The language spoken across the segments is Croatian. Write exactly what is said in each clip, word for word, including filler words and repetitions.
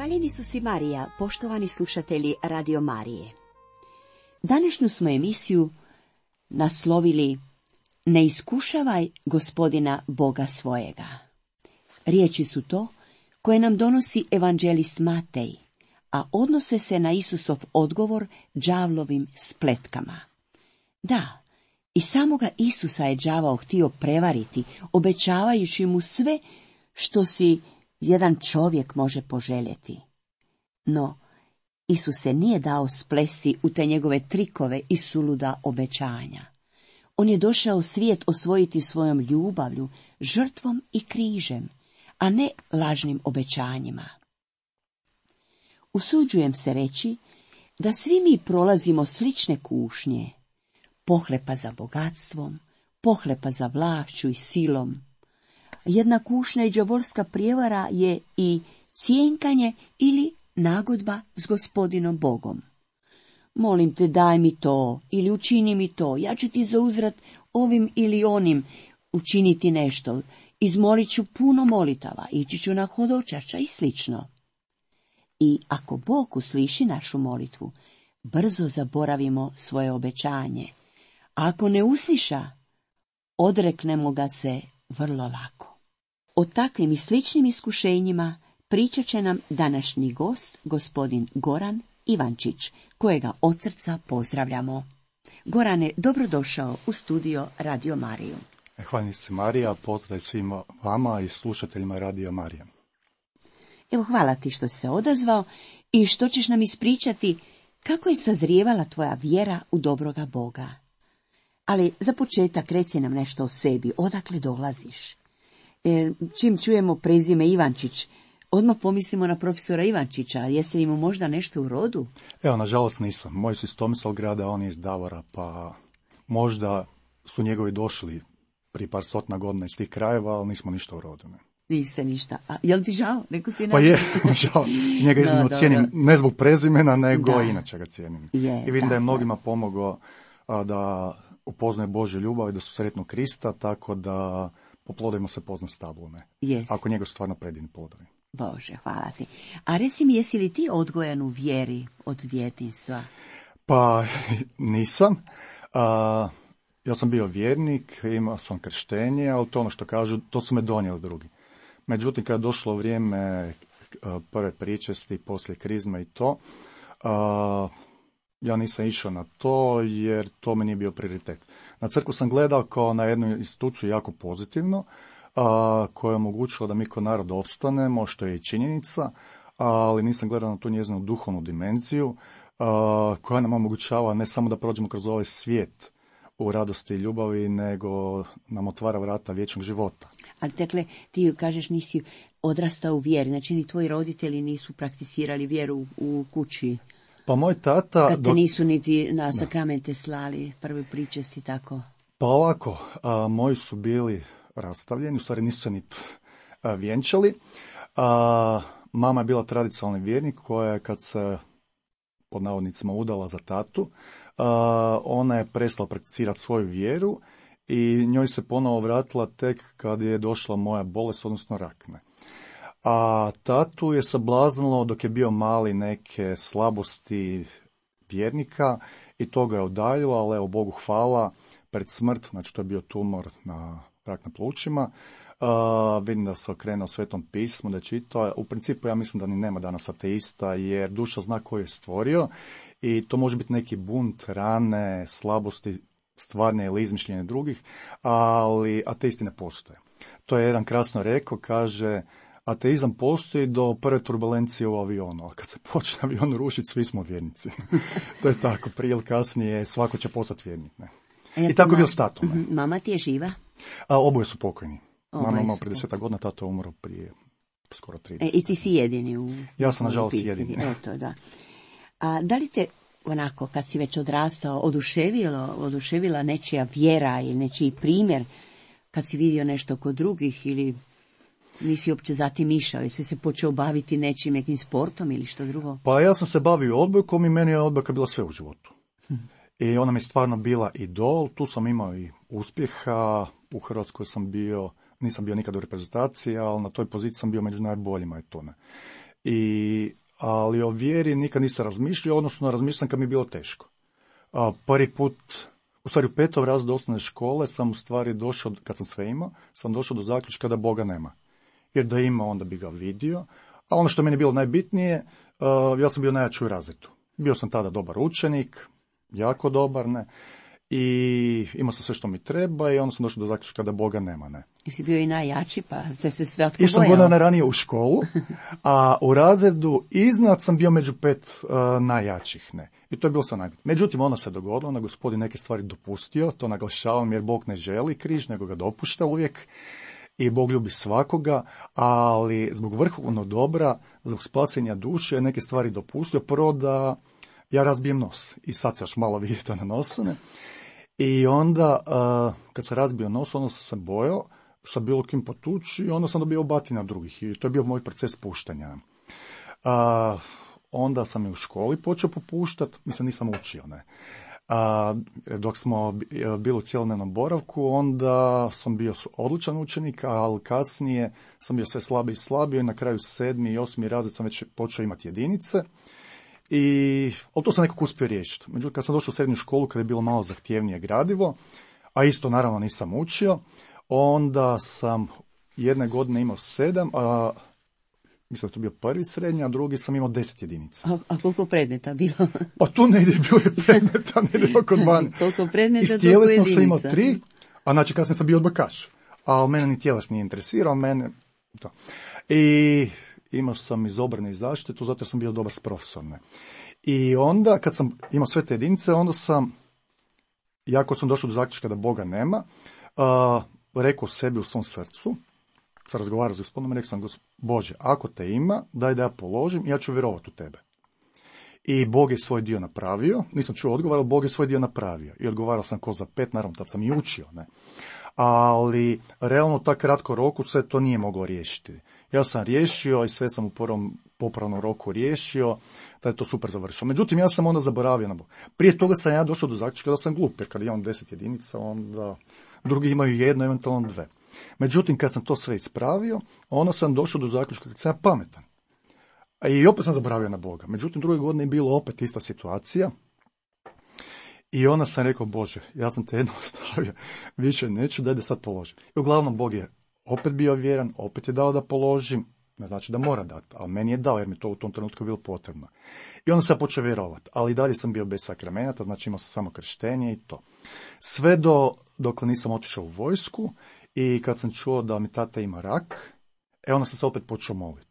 Hvaljeni su si Marija, poštovani slušatelji Radio Marije. Današnju smo emisiju naslovili Ne iskušavaj Gospodina Boga svojega. Riječi su to koje nam donosi evanđelist Matej, a odnose se na Isusov odgovor đavlovim spletkama. Da, i samoga Isusa je đavao htio prevariti, obećavajući mu sve što si jedan čovjek može poželjeti. No, Isus se nije dao splesti u te njegove trikove i suluda obećanja. On je došao svijet osvojiti svojom ljubavlju, žrtvom i križem, a ne lažnim obećanjima. Usuđujem se reći da svi mi prolazimo slične kušnje, pohlepa za bogatstvom, pohlepa za vlašću i silom. Jedna kušnja i đavolska prijevara je i cjenkanje ili nagodba s Gospodinom Bogom. Molim te, daj mi to ili učini mi to, ja ću ti za uzvrat ovim ili onim učiniti nešto, izmolit ću puno molitava, ići ću na hodočašća i slično. I ako Bog usliši našu molitvu, brzo zaboravimo svoje obećanje. A ako ne usliša, odreknemo ga se vrlo lako. O takvim i sličnim iskušenjima pričat će nam današnji gost, gospodin Goran Ivančić, kojega od srca pozdravljamo. Gorane, dobrodošao u studio Radio Mariju. Hvala se Marija, pozdrav svima vama i slušateljima Radio Marija. Evo, hvala ti što si se odazvao i što ćeš nam ispričati kako je sazrijevala tvoja vjera u dobroga Boga. Ali za početak reci nam nešto o sebi, odakle dolaziš. E, čim čujemo prezime Ivančić, odmah pomislimo na profesora Ivančića, jesi li mu možda nešto u rodu? Evo, nažalost nisam. Moj su iz Tomislavgrada, on je iz Davora, pa možda su njegovi došli prije par stotina godina iz tih krajeva, ali nismo ništa u rodu. Ne. Niste ništa. A jel ti žao? Neko si pa je, žao. Njega iznimno no, cijenim, ne zbog prezimena, nego da. Inače ga cijenim. Je, I vidim da, da je mnogima pomogao a, da upoznaju Božju ljubav i da su sretnu Krista, tako da po plodovima se pozna stablo, ne? Yes. Ako njega su stvarno predivni plodovi. Bože, hvala ti. A reci mi, jesi li ti odgojen u vjeri od djetinjstva? Pa nisam. A, ja sam bio vjernik, imao sam krštenje, ali to ono što kažu, to su me donijeli drugi. Međutim, kada je došlo vrijeme prve pričesti, poslije krizme i to, a, ja nisam išao na to jer to mi nije bio prioritet. Na crkvu sam gledao kao na jednu instituciju jako pozitivno, a, koja je omogućila da mi kao narod opstanemo, što je i činjenica, ali nisam gledao na tu njezinu duhovnu dimenziju, a, koja nam omogućava ne samo da prođemo kroz ovaj svijet u radosti i ljubavi, nego nam otvara vrata vječnog života. Ali dakle, ti kažeš nisi odrastao u vjeri, znači ni tvoji roditelji nisu prakticirali vjeru u kući. Pa moj tata... Kad te dok... nisu niti na sakramente slali, prve pričesti, tako? Pa ovako, a, moji su bili rastavljeni, u stvari nisu se niti vjenčali. A, mama je bila tradicionalni vjernik koja je kad se pod navodnicima udala za tatu, a, ona je prestala prakticirati svoju vjeru i njoj se ponovo vratila tek kad je došla moja bolest, odnosno rak. Ne. A tatu je sablaznilo dok je bio mali neke slabosti vjernika i to ga je udaljilo, ali evo Bogu hvala, pred smrt, znači to je bio tumor na rak na plućima, uh, vidim da se okrenuo Svetom pismu, da je čitao. U principu ja mislim da ni nema danas ateista, jer duša zna koju je stvorio i to može biti neki bunt, rane, slabosti, stvarne ili izmišljene drugih, ali ateisti ne postoje. To je jedan krasno rekao, kaže... Ateizam postoji do prve turbulencije u avionu, a kad se počne avion rušiti, svi smo vjernici. To je tako, prije ili kasnije svako će postati vjernik. Ne? I tako je bio s tatom. Ne? Mama ti je živa? A, oboje su pokojni. Oboje Mama ima prije desetak godina, tato je umro prije skoro trideset. E, I ti si jedini u... Ja sam nažalost jedini. Eto, da. A da li te, onako, kad si već odrastao, oduševilo, oduševila nečija vjera ili nečiji primjer, kad si vidio nešto kod drugih ili... Nisi uopće zatim išao, jesi se počeo baviti nečim, nekim sportom ili što drugo? Pa ja sam se bavio odbojkom i meni je odbojka bila sve u životu. Hm. I ona mi je stvarno bila idol, tu sam imao i uspjeha, u Hrvatskoj sam bio, nisam bio nikad u reprezentaciji, ali na toj poziciji sam bio među najboljima i to ne. I, ali o vjeri nikad nisam razmišljao, odnosno razmišljam kad mi je bilo teško. A, prvi put, u stvari u petom razredu osnovne škole sam u stvari došao, kad sam sve imao, sam došao do zaključka da Boga nema. Jer da ima, onda bi ga vidio. A ono što meni je bilo najbitnije, uh, ja sam bio najjači u razredu. Bio sam tada dobar učenik, jako dobar, ne. I imao sam sve što mi treba i onda sam došao do zaključka da Boga nema, ne. Jesi bio i najjači, pa se se sve otko Išao sam godina ranije u školu, a u razredu iznad sam bio među pet uh, najjačih, ne. I to je bilo sve najbitnije. Međutim, ono se dogodilo, onda Gospodin neke stvari dopustio, to naglašavam jer Bog ne želi križ, nego ga dopušta uvijek. I Bog ljubi svakoga, ali zbog vrhovnog dobra, zbog spasenja duše, neke stvari dopustio. Prvo da ja razbijem nos. I sad se još malo vidi to na nosu. Ne? I onda, uh, kad sam razbio nos, onda sam se bojao sa bilo kim potući i onda sam dobio batina drugih. I to je bio moj proces puštanja. Uh, onda sam i u školi počeo popuštati, mislim nisam učio, ne. A, dok smo bili u cjelodnevnom boravku, onda sam bio odličan učenik, ali kasnije sam bio sve slabiji i slabiji i na kraju sedmi i osmi razred sam već počeo imati jedinice. I, ali to sam nekako uspio riješiti. Međutim, kad sam došao u srednju školu, kada je bilo malo zahtjevnije gradivo, a isto naravno nisam učio, onda sam jedne godine imao sedam, a mislim da to bio prvi srednji, a drugi sam imao deset jedinica. A, a koliko predmeta bilo? Pa tu negdje je bilo je predmeta, negdje oko dvanaest. Koliko predmeta, iz tjelesnog sam imao tri, a znači kasnije sam bio odbakaš. A mene ni tjeles nije interesirao, mene to. I imao sam iz obrane i zaštitu, zato jer sam bio dobar s profesorom. I onda, kad sam imao sve te jedinice, onda sam, jako sam došao do zaključka da Boga nema, uh, rekao sebi u svom srcu, sam razgovarao s Gospodom i rekao sam, Bože, ako te ima, daj da ja položim, ja ću vjerovati u tebe. I Bog je svoj dio napravio, nisam čuo odgovor, ali Bog je svoj dio napravio. I odgovarao sam ko za pet, naravno, tad sam i učio, ne. Ali, realno, tak kratko roku se to nije moglo riješiti. Ja sam riješio i sve sam u prvom popravnom roku riješio, da je to super završilo. Međutim, ja sam onda zaboravio na Bog. Prije toga sam ja došao do zaključka da sam glup, jer kad imam deset jedinica, onda drugi imaju jedno, eventualno dve. Međutim, kad sam to sve ispravio, onda sam došao do zaključka kad sam ja pametan. I opet sam zaboravio na Boga. Međutim, druge godine je bilo opet ista situacija. I onda sam rekao, Bože, ja sam te jedno ostavio, više neću, daj da sad položim. I uglavnom, Bog je opet bio vjeran, opet je dao da položim, ne znači da mora dati, ali meni je dao jer mi to u tom trenutku bilo potrebno. I onda sam počeo vjerovati, ali i dalje sam bio bez sakramenata, znači imao sam samo krštenje i to. Sve do, dokle nisam otišao u vojsku i kad sam čuo da mi tata ima rak, e onda sam se opet počeo moliti.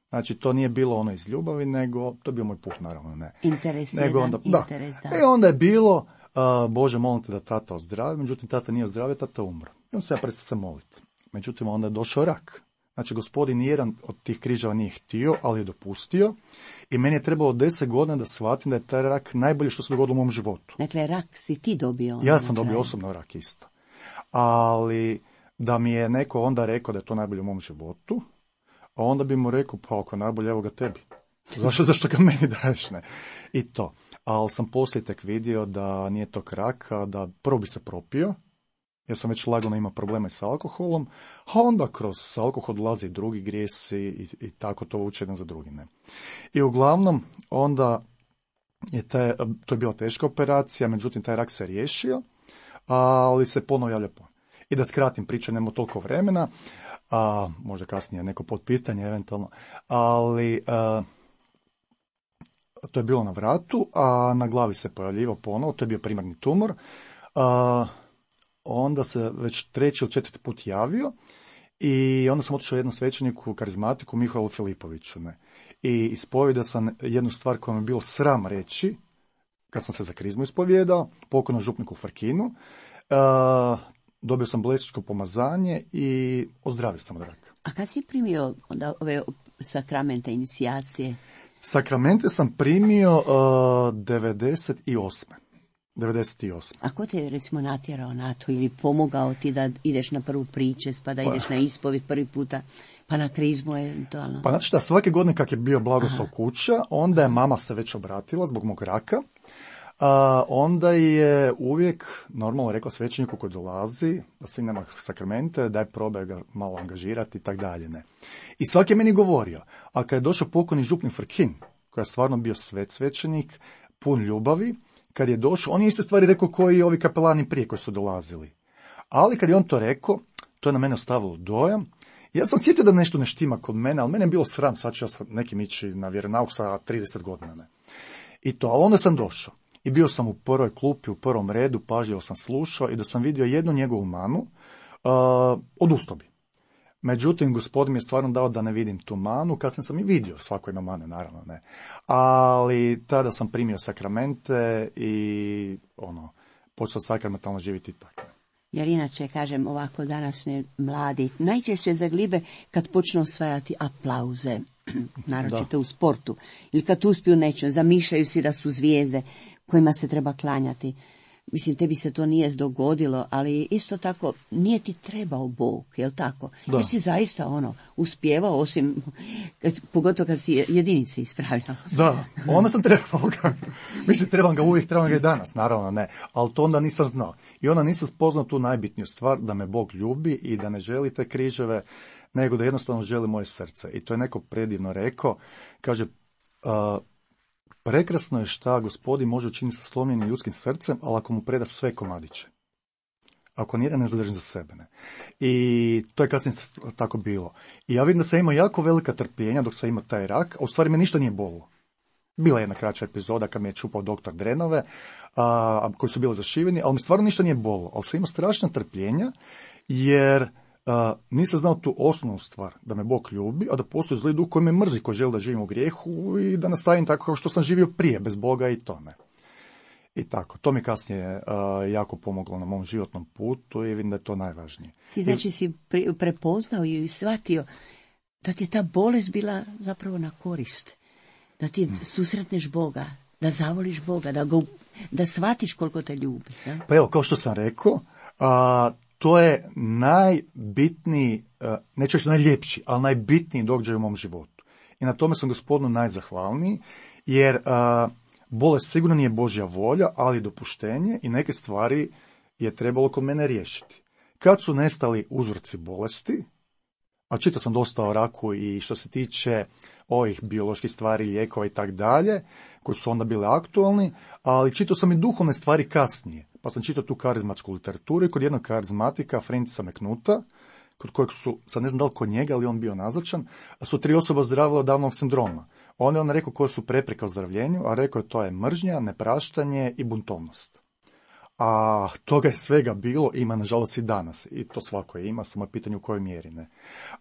Znači, to nije bilo ono iz ljubavi, nego, to je bio moj put, naravno, ne. Interes nego jedan, onda, interes, da. da. E onda je bilo, uh, Bože, molim te da tata ozdravi, međutim, tata nije ozdravio, tata umro. I onda se ja prestao se moliti. Međutim, onda je došao rak. Znači, Gospodin nijedan od tih križeva nije htio, ali je dopustio. I meni je trebalo deset godina da shvatim da je taj rak najbolje što se dogodilo u mom životu. Dakle, rak si ti dobio. Ja sam dobio osobno rak isto. Ali da mi je neko onda rekao da je to najbolje u mom životu, a onda bi mu rekao, pa ako najbolje, evo ga tebi. Zašto, zašto ga meni daješ, ne? I to. Ali sam poslije tek vidio da nije to rak, a da prvo bi se propio, jer sam već lagano imao probleme s alkoholom, a onda kroz alkohol dolaze i drugi grijesi i, i tako to uče jedan za drugi, ne? I uglavnom, onda je taj, to je bila teška operacija, međutim taj rak se riješio, ali se ponovo javlja ponovo. I da skratim priču, nemamo toliko vremena, a možda kasnije neko potpitanje eventualno, ali a, to je bilo na vratu, a na glavi se pojavljivao ponovo, to je bio primarni tumor, a, onda se već treći ili četvrti put javio i onda sam otišao jednom svećeniku, karizmatiku, Mihaelu Filipoviću, ne. I ispovijedao sam jednu stvar koja mi je bilo sram reći, kad sam se za krizmu ispovijedao, pokojnom župniku Farkinu, a, dobio sam blesičko pomazanje i ozdravio sam od raka. A kad si primio onda ove sakramente, inicijacije? Sakramente sam primio uh, devedeset osme. devedeset osme. A ko te je recimo natjerao na to ili pomogao ti da ideš na prvu pričest, pa da ideš pa, na ispovijed prvi puta, pa na krizmu eventualno? Pa znači šta, svake godine kak je bio blagoslov kuća, onda je mama se već obratila zbog mog raka. a, onda je uvijek normalno rekla svećeniku koji dolazi, da svi nema sakramente, daj probaj ga malo angažirati i tak dalje. Ne. I svaki je meni govorio, a kad je došao pokojni župnik Frkin, koji je stvarno bio svet svećenik, pun ljubavi, kad je došao, on je iste stvari rekao koji i ovi kapelani prije koji su dolazili. Ali kad je on to rekao, to je na mene ostavilo dojam. Ja sam sjetio da nešto ne štima kod mene, ali mene je bilo sram, sad ću ja sa nekim ići na vjeronauk sa trideset godina. Ne. I to, ali onda sam došao. I bio sam u prvoj klupi, u prvom redu, pažljivo sam slušao i da sam vidio jednu njegovu manu, uh, odustao bi. Međutim, gospodin mi je stvarno dao da ne vidim tu manu, kasnije sam i vidio, svako ima mane, naravno ne. Ali tada sam primio sakramente i ono, počeo sakramentalno živjeti tako. Jer inače, kažem, ovako današnji mladi najčešće zaglibe kad počnu osvajati aplauze, naročito u sportu, ili kad uspiju nečem, zamišljaju si da su zvijezde kojima se treba klanjati. Mislim, tebi se to nije dogodilo, ali isto tako nije ti trebao Bog, jel tako? Da. Jer si zaista ono, uspjevao, osim, pogotovo kad si jedinice ispravljao. Da, onda sam trebao ga. Mislim, trebam ga uvijek, trebam ga i danas, naravno ne. Ali to onda nisam znao. I onda nisam spoznao tu najbitniju stvar, da me Bog ljubi i da ne želi te križeve, nego da jednostavno želi moje srce. I to je neko predivno rekao, kaže, uh, prekrasno je šta Gospodin može učiniti sa slomljenim ljudskim srcem, ali ako mu preda sve komadiće. Ako nijedan ne zadrži za sebe. Ne. I to je kasnije tako bilo. I ja vidim da sam imao jako velika trpljenja dok sam imao taj rak, a u stvari me ništa nije bolilo. Bila je jedna kraća epizoda kad me je čupao doktor drenove, a, koji su bili zašiveni, ali mi stvarno ništa nije bolilo. Ali sam imao strašna trpljenja, jer Uh, nisam znao tu osnovnu stvar, da me Bog ljubi, a da postoji zli duh koji me mrzi, koji želi da živim u grijehu i da nastavim tako kao što sam živio prije, bez Boga i to ne. I tako, to mi kasnije uh, jako pomoglo na mom životnom putu i vidim da je to najvažnije. Ti znači I... si pre- prepoznao i shvatio da ti je ta bolest bila zapravo na korist, da ti hmm. susretneš Boga, da zavoliš Boga, da, go, da shvatiš koliko te ljubi. Da? Pa evo, kao što sam rekao, uh, to je najbitniji, neću reći najljepši, ali najbitniji događaj u mom životu. I na tome sam Gospodinu najzahvalniji, jer uh, bolest sigurno nije Božja volja, ali dopuštenje i neke stvari je trebalo kod mene riješiti. Kad su nestali uzroci bolesti, a čitao sam dosta o raku i što se tiče ovih bioloških stvari, lijekova i tak dalje, koji su onda bile aktualni, ali čitao sam i duhovne stvari kasnije. Pa sam čitao tu karizmatsku literaturu i kod jednog karizmatika, Francisa McNuta, kod kojeg su, sad ne znam da li kod njega, ali on bio nazočan, su tri osobe ozdravile od Downovog sindroma. On je on rekao koje su prepreke ozdravljenju, a rekao je to je mržnja, nepraštanje i buntovnost. A toga je svega bilo, ima nažalost i danas. I to svako je ima, samo je pitanje u kojoj mjeri. Ne.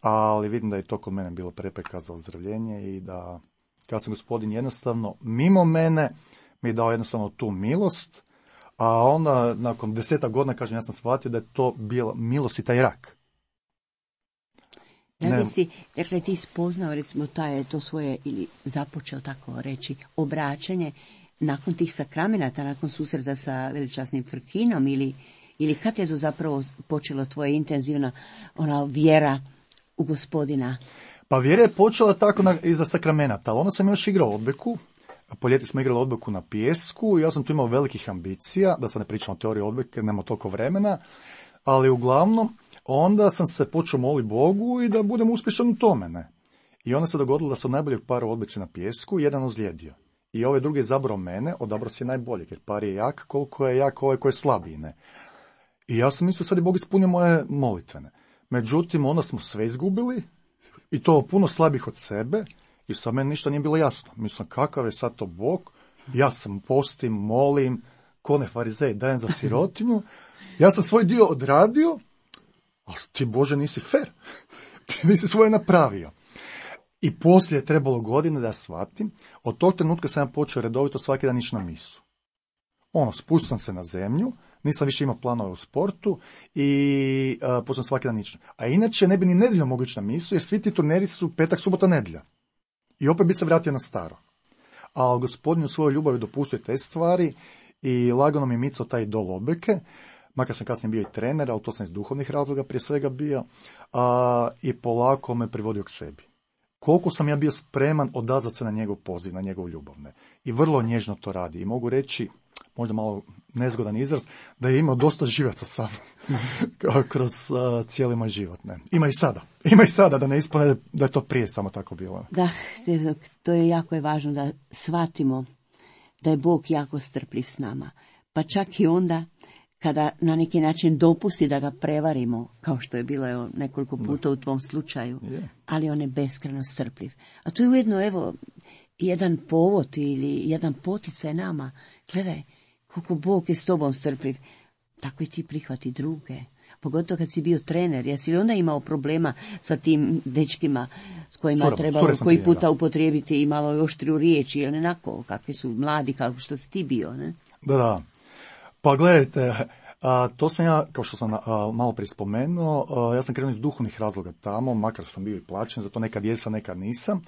Ali vidim da je to kod mene bilo prepreka za ozdravljenje i da, kada sam Gospodin jednostavno, mimo mene, mi je dao jednostavno tu milost, a onda nakon deseta godina, kažem, ja sam shvatio da je to bila milost i taj rak. Da li si, dakle, ti spoznao, recimo, taj, to svoje, ili započeo tako reći, obraćanje, nakon tih sakramenata, nakon susreta sa veličasnim Frkinom, ili, ili kad je to zapravo počelo tvoja intenzivna ona vjera u Gospodina? Pa vjera je počela tako na, iza sakramenata, ali onda sam još igrao odbojku. Po ljeti smo igrali odbojku na pijesku i ja sam tu imao velikih ambicija, da sad ne pričam o teoriji odbojke, nema toliko vremena, ali uglavnom onda sam se počeo moliti Bogu i da budem uspješan u tome. Ne? I onda se dogodilo da su najboljeg para u odbojci na pijesku, jedan ozlijedio. I ovaj drugi je zabrao mene, odabrao si je najboljeg, jer par je jak koliko je jak ovaj koji je slabiji. Ne? I ja sam mislio sad je Bog ispunio moje molitvene. Međutim, onda smo sve izgubili i to puno slabih od sebe. I sad meni ništa nije bilo jasno. Mislim, kakav je sad to Bog? Ja sam postim, molim, kone farizej, dajem za sirotinju. Ja sam svoj dio odradio, ali ti, Bože, nisi fer. Ti nisi svoje napravio. I poslije je trebalo godine da shvatim. Od tog trenutka sam ja počeo redovito svaki dan ići na misu. Ono, spustim sam se na zemlju, nisam više imao planove u sportu i uh, počeo svaki dan ići. A inače ne bi ni nedjeljom mogli ići na misu, jer svi ti turneri su petak, subota, nedjelja. I opet bi se vratio na staro. Ali Gospodin u svojoj ljubavi dopustio te stvari i lagano mi micao taj idol odbojke, makar sam kasnije bio i trener, ali to sam iz duhovnih razloga prije svega bio, a, i polako me privodio k sebi. Koliko sam ja bio spreman odazvati se na njegov poziv, na njegov ljubavne. I vrlo nježno to radi. I mogu reći, možda malo nezgodan izraz, da je imao dosta živaca sam kroz uh, cijeli moj život. Ne. Ima i sada. Ima i sada, da ne ispane da je to prije samo tako bilo. Da, to je jako je važno da shvatimo da je Bog jako strpljiv s nama. Pa čak i onda kada na neki način dopusti da ga prevarimo, kao što je bilo evo, nekoliko puta u tvom slučaju, ali on je beskrajno strpljiv. A to je ujedno, evo, jedan povod ili jedan poticaj nama. Gledaj, koliko Bog je s tobom strpljiv, tako i ti prihvati druge. Pogotovo kad si bio trener, jesi li onda imao problema sa tim dečkima s kojima Sura, trebalo koji puta upotrijebiti i malo oštriju riječi, ili onako, kakvi su mladi, kako što si ti bio, ne? Da, da. Pa gledajte, a, to sam ja, kao što sam a, malo prije spomenuo, a, ja sam krenuo iz duhovnih razloga tamo, makar sam bio i plaćen, zato nekad jesam, nekad nisam,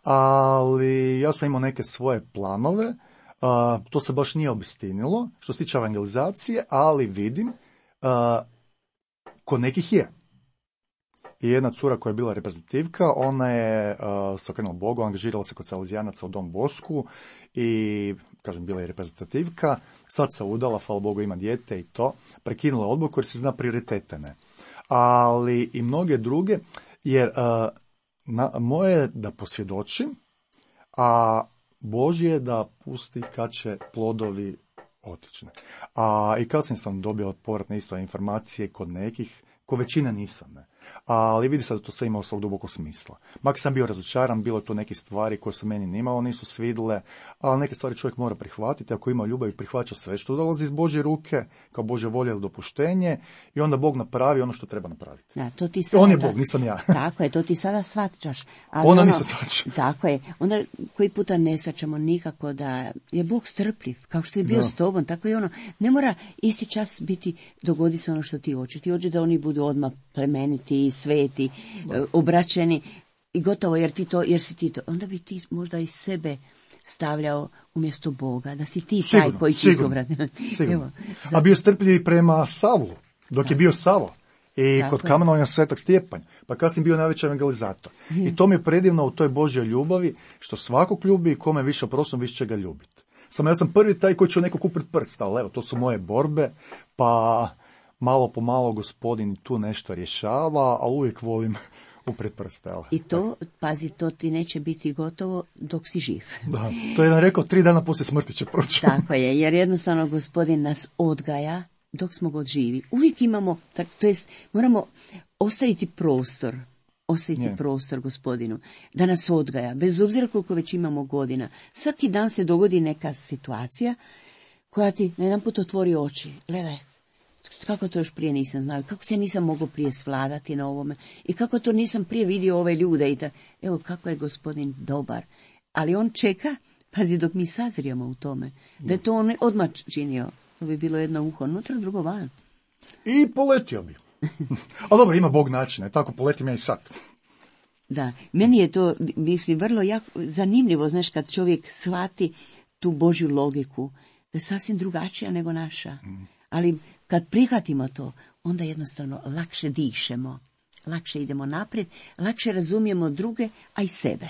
ali ja sam imao neke svoje planove, a, to se baš nije obistinilo, što se tiče evangelizacije, ali vidim, a, kod nekih je. I jedna cura koja je bila reprezentativka, ona je uh, se okrenula Bogu, angažirala se kod Salezijanaca u Don Bosku i, kažem, bila je reprezentativka, sad se udala, hvala Bogu ima dijete i to, prekinula odluku jer se zna prioritete, ne. Ali i mnoge druge, jer uh, na, moje je da posvjedočim, a Božje je da pusti kad će plodovi otići. A i kasnije sam dobio povratne isto informacije kod nekih, ko većina nisam, ne. Ali vidi se da to sve imalo svog dubokog smisla. Mak sam bio razočaran, bilo to neke stvari koje se meni nimalo nisu svidile, ali neke stvari čovjek mora prihvatiti, ako ima ljubav i prihvaća sve što dolazi iz Božje ruke, kao Božja volja ili dopuštenje, i onda Bog napravi ono što treba napraviti. Da, to ti sada, on je Bog, nisam ja. Tako je, to ti sada shvaćaš. Ali Ona ono, nisam shvaća. Tako je, onda koji puta ne shvaćamo nikako da je Bog strpljiv, kao što je bio da. s tobom, tako je ono, ne mora isti čas biti, dogodi se ono što ti hoće, ti hoće da oni budu odmah plemeniti, sveti, da. obraćeni i gotovo, jer ti to, jer si ti to, onda bi ti možda i sebe stavljao umjesto Boga, da si ti sigurno, taj koji ti sigurno, sigurno. A bio strpljiv prema Savlu, dok da. je bio Savo. I tako kod kamenovanja Svetog Stjepan, pa kasnije bio najveći evangelizator. Hmm. I to mi je predivno u toj Božjoj ljubavi, što svakog ljubi i kome više oprostim, više će ga ljubiti. Samo ja sam prvi taj koji će neko kupiti prst, ali evo, to su moje borbe, pa malo po malo Gospodin tu nešto rješava, ali uvijek volim upred prste. Ali. I to, pazi, to ti neće biti gotovo dok si živ. Da, to je jedan rekao, tri dana poslije smrti će proći. Tako je, jer jednostavno Gospodin nas odgaja dok smo god živi. Uvijek imamo, tak, to jest, moramo ostaviti prostor, ostaviti yeah. prostor Gospodinu, da nas odgaja, bez obzira koliko već imamo godina. Svaki dan se dogodi neka situacija koja ti na jedan put otvori oči. Gledaj, kako to još prije nisam znao, kako se nisam mogao prije svladati na ovome i kako to nisam prije vidio ove ljude i ta, evo kako je Gospodin dobar. Ali on čeka, pazi, dok mi sazrijemo u tome, da je to on odmah činio. To bi bilo jedno uho unutra, drugo van. I poletio bi. Ali dobro, ima Bog načina, tako poletim ja i sad. Da, meni je to, mislim, vrlo jako zanimljivo, znaš, kad čovjek shvati tu Božju logiku, da je sasvim drugačija nego naša. Mm. Ali kad prihvatimo to, onda jednostavno lakše dišemo, lakše idemo naprijed, lakše razumijemo druge, a i sebe.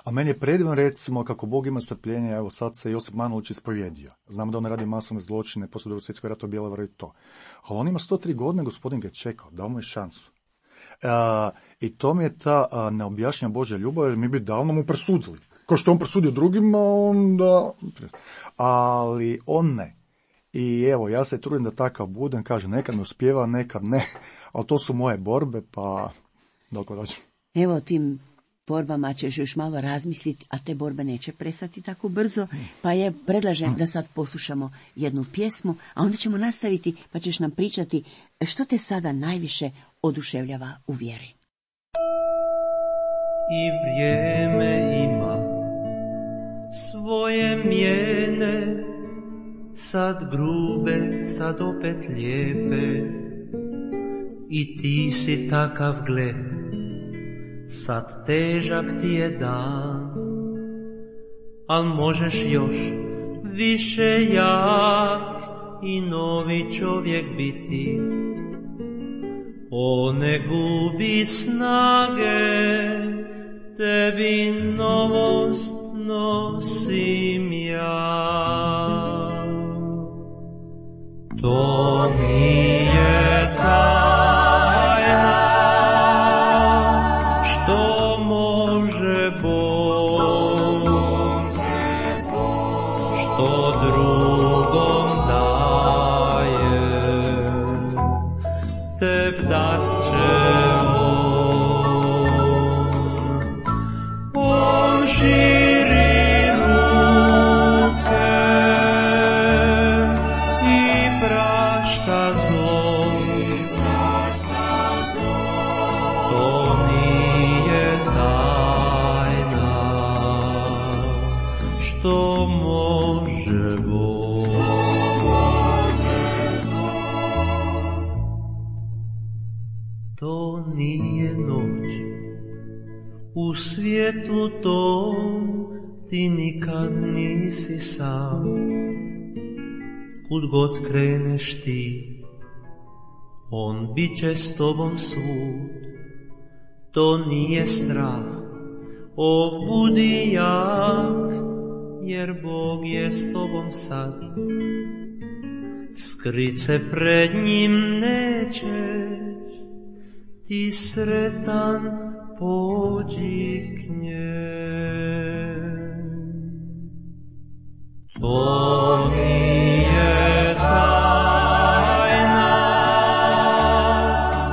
A meni je predivno, recimo, kako Bog ima strpljenje, evo sad se Josip Manolić ispovjedio. Znamo da on radi masovne zločine, poslije Drugog svjetskog rata u Bjelovaru i to. Ali on ima sto tri godine, Gospodin ga je čekao, dao mu je šansu. E, I to mi je ta a, neobjašnjena Božja ljubav, jer mi bi davno mu presudili. Kao što on presudio drugima, onda... Ali on ne. I evo, ja se trudim da takav budem, kažem, nekad me uspijeva, nekad ne, ali to su moje borbe, pa dok dođem. Evo, tim borbama ćeš još malo razmisliti, a te borbe neće prestati tako brzo, pa je predlažem da sad poslušamo jednu pjesmu, a onda ćemo nastaviti, pa ćeš nam pričati što te sada najviše oduševljava u vjeri. I vrijeme ima svoje mijene, sad grube, sad opet lijepe, i ti si takav, gle, sad težak ti je dan, al možeš još više jak i novi čovjek biti. O, ne gubi snage, tebi novost nosim ja. To nije tajna, što može Bog, što drugom daje, teb dat će on. On širi ruke i prašta zlo. To nije tajna, što može Bog. To nije noć, u svijetu tom ti nikad nisi sam. Kud god kreneš ti, on bit će s tobom svud. To nije strah, o budi jak, jer Bog je s tobom sad. Skrit se pred njim nećeš, ti sretan pođi k njem. To nije tajna,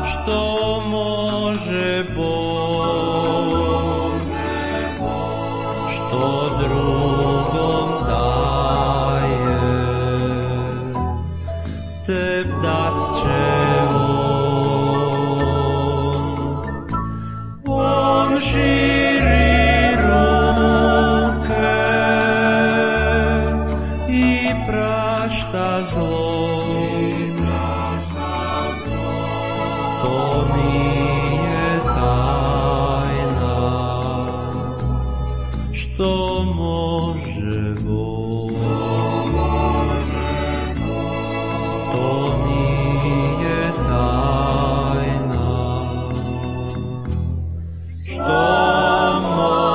što može Bog, što drugom daje, teb dat će širi ruke i prašta zlo. To nije tajna, što može Bog. To nije tajna, što može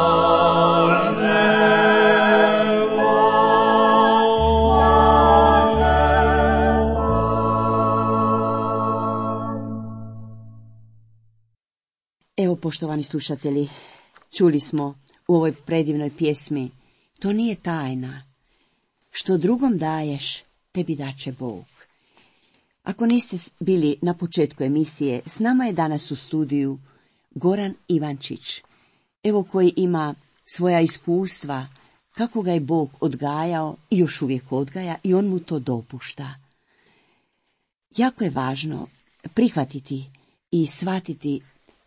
Evo, poštovani slušatelji, čuli smo u ovoj predivnoj pjesmi, to nije tajna, što drugom daješ, tebi daće Bog. Ako niste bili na početku emisije, s nama je danas u studiju Goran Ivančić, evo koji ima svoja iskustva, kako ga je Bog odgajao i još uvijek odgaja i on mu to dopušta. Jako je važno prihvatiti i shvatiti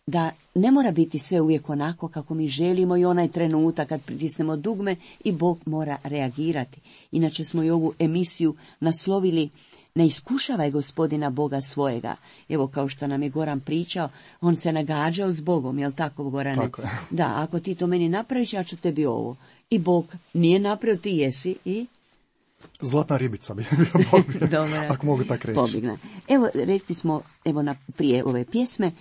da ne mora biti sve uvijek onako kako mi želimo i onaj trenutak kad pritisnemo dugme i Bog mora reagirati. Inače smo i ovu emisiju naslovili Ne iskušavaj Gospodina Boga svojega. Evo, kao što nam je Goran pričao, on se nagađao s Bogom, jel tako, Gorane? Tako je. Da, ako ti to meni napraviš, ja ću tebi ovo. I Bog nije napravio, ti jesi i... Zlatna ribica bi bio Bog, ako mogu tako reći. Pobjegna. Evo, rekli smo, evo na, prije ove pjesme,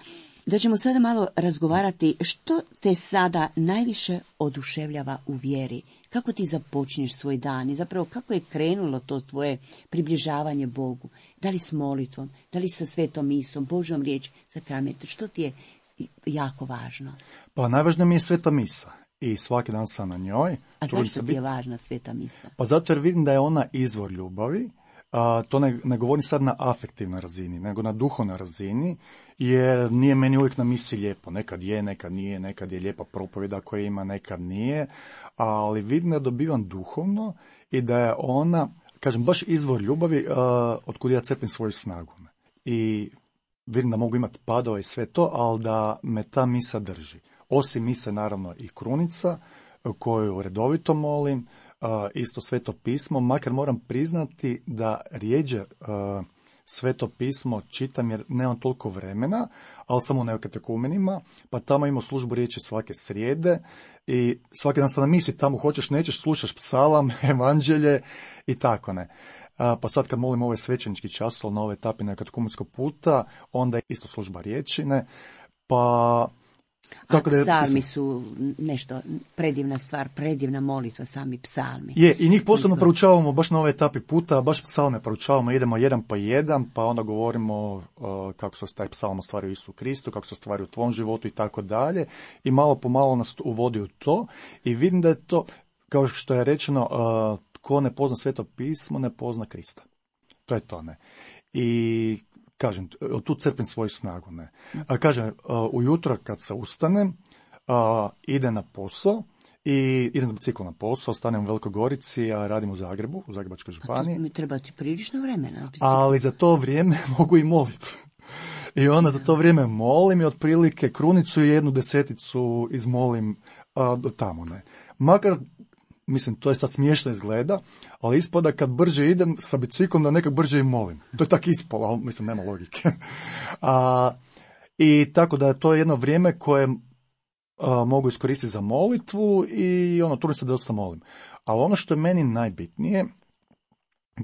da ćemo sada malo razgovarati što te sada najviše oduševljava u vjeri. Kako ti započneš svoj dan i zapravo kako je krenulo to tvoje približavanje Bogu? Da li s molitvom, da li sa svetom misom, Božjom riječ, sakramentom? Što ti je jako važno? Pa najvažnija mi je sveta misa i svaki dan sam na njoj. A zašto ti je važna sveta misa? Pa zato jer vidim da je ona izvor ljubavi. A, to ne, ne govorim sad na afektivnoj razini, nego na duhovnoj razini, jer nije meni uvijek na misi lijepo. Nekad je, nekad nije, nekad je lijepa propovjeda koja ima, nekad nije, ali vidim da dobivam duhovno i da je ona, kažem, baš izvor ljubavi a, od kud ja crpim svoju snagu. I vidim da mogu imati padova i sve to, ali da me ta misa drži. Osim mise, naravno, i krunica, koju redovito molim, Uh, isto sveto pismo, makar moram priznati da rijeđe uh, sveto pismo čitam jer nemam toliko vremena, ali samo u neokatekumenima, pa tamo imamo službu riječi svake srijede i svaki dan sam na misi, tamo hoćeš, nećeš, slušaš psalam, evanđelje i tako ne. Uh, pa sad kad molim ove svećenički časol na ove etape neokatekumenskog puta, onda je isto služba riječine, pa Tako da A je- psalmi su nešto, predivna stvar, predivna molitva, sami psalmi. Je, i njih posebno Izgled. proučavamo baš na ove etapi puta, baš psalme proučavamo, idemo jedan po jedan, pa onda govorimo uh, kako se taj psalm ostvari u Isu Kristu, kako se ostvari u tvom životu i tako dalje. I malo po malo nas uvodi u to i vidim da je to, kao što je rečeno, uh, ko ne pozna Sveto pismo, ne pozna Krista. To je to, ne. I kažem, od tu crpim svoju snagu, ne. A kažem, uh, ujutro kad se ustanem, uh, ide na posao, i idem s biciklom na posao, stanem u Velikoj Gorici, a radim u Zagrebu, u Zagrebačkoj županiji, Mi treba ti prilično vremena. ali za to vrijeme mogu i moliti. I onda za to vrijeme molim i otprilike krunicu i jednu deseticu izmolim a, do tamo, ne. Makar, mislim, to je sad smiješno izgleda, ali ispada kad brže idem sa biciklom da nekak brže i molim. To je tak ispalo, ali mislim, nema logike. A, I tako da je to jedno vrijeme koje a, mogu iskoristiti za molitvu i ono, trudim se da dosta molim. Ali ono što je meni najbitnije,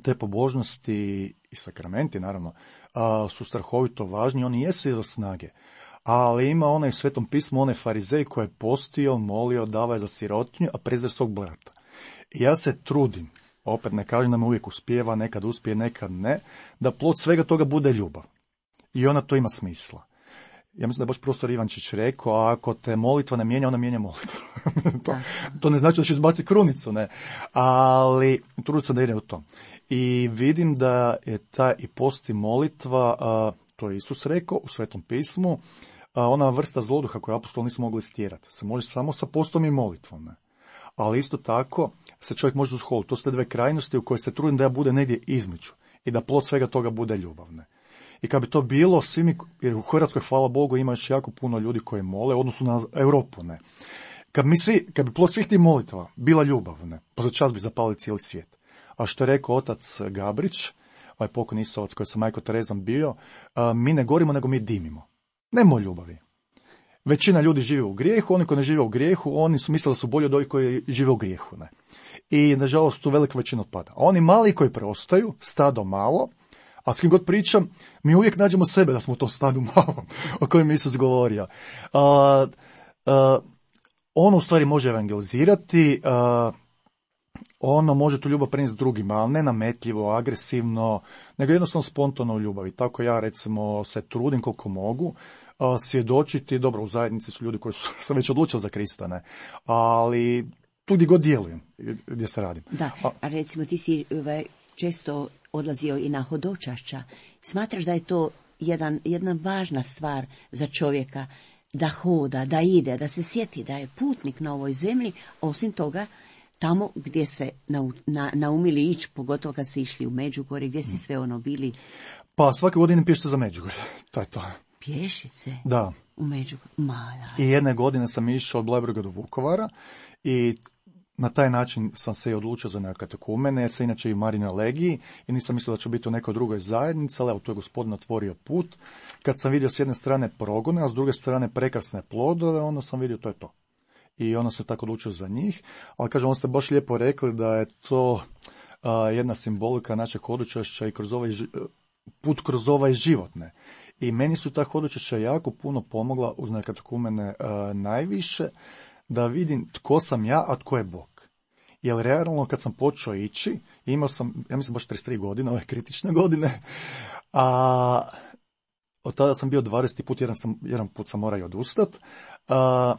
te pobožnosti i sakramenti, naravno, a, su strahovito važni, oni jesu izvor snage. Ali ima onaj u Svetom pismu, onaj farizej koji je postio, molio, davao je za sirotinju, a prezir svog brata. I ja se trudim, opet ne kažem da me uvijek uspijeva, nekad uspije, nekad ne, da plod svega toga bude ljubav. I ona to ima smisla. Ja mislim da je baš profesor Ivančić rekao, a ako te molitva ne mijenja, ona mijenja molitvu. to, to ne znači da će izbaci krunicu, ne. Ali trudim se da ide u to. I vidim da je ta i post i molitva, a, to je Isus rekao u Svetom pismu, a, ona vrsta zloduha koju apostoli nisu mogli stjerati. Se može samo sa postom i molitvom, ne. Ali isto tako se čovjek može uzholiti. To su te dve krajnosti u kojoj se trudim da ja bude negdje između i da plod svega toga bude ljubavne. I kad bi to bilo, svi mi, jer u Hrvatskoj, hvala Bogu, ima još jako puno ljudi koji mole, u odnosu na Europu, ne. Kad mi svi, kad bi plod svih tih molitva bila ljubav, ne, pa za čas bi zapalili cijeli svijet. A što je rekao otac Gabrić, ovaj pokojni Isovac koji sam majko Terezom bio, a, mi ne gorimo, nego mi dimimo. Nemo ljubavi. Većina ljudi živi u grijehu, oni koji ne žive u grijehu, oni su mislili da su bolji od ovih koji žive u grijehu, ne. I, nažalost, tu velika većina otpada. A oni mali koji preostaju, stado malo, a s kim god pričam, mi uvijek nađemo sebe da smo u tom stadu malo o kojem je Isus govorio. A, a, ono u stvari može evangelizirati, a, ono može tu ljubav prenijeti drugima, ali ne nametljivo, agresivno, nego jednostavno spontano u ljubavi. Tako ja, recimo, se trudim koliko mogu a, svjedočiti. Dobro, u zajednici su ljudi koji su se već odlučili za Krista, ne, ali tu gdje god djelujem, gdje se radim. Da, a recimo ti si ovaj, često odlazio i na hodočašća. Smatraš da je to jedan, jedna važna stvar za čovjeka, da hoda, da ide, da se sjeti da je putnik na ovoj zemlji, osim toga tamo gdje se nau, na, naumili ići, pogotovo kad ste išli u Međugorje, gdje si sve ono bili? Pa svake godine pješice za Međugorje, to je to. Pješice? Da. U Međugorje? Ma, da. I jedne godine sam išao od Bleiburga do Vukovara i na taj način sam se i odlučio za neke katekumene, jer se inače i u Marinoj legiji i nisam mislio da ću biti u nekoj drugoj zajednici, ali evo, tu je Gospodin otvorio put. Kad sam vidio s jedne strane progone, a s druge strane prekrasne plodove, onda sam vidio to je to. I onda se tako odlučio za njih, ali kažem, onda ste baš lijepo rekli da je to a, jedna simbolika našeg hodočašća i kroz ovaj put kroz ovaj život, ne. I meni su ta hodočašća jako puno pomogla uz neke katekumene a, najviše, da vidim tko sam ja, a tko je Bog. Jer realno kad sam počeo ići, imao sam, ja mislim baš trideset tri godine, ove kritične godine, a od tada sam bio dvadeseti put, jedan, sam, jedan put sam morao i odustat, a,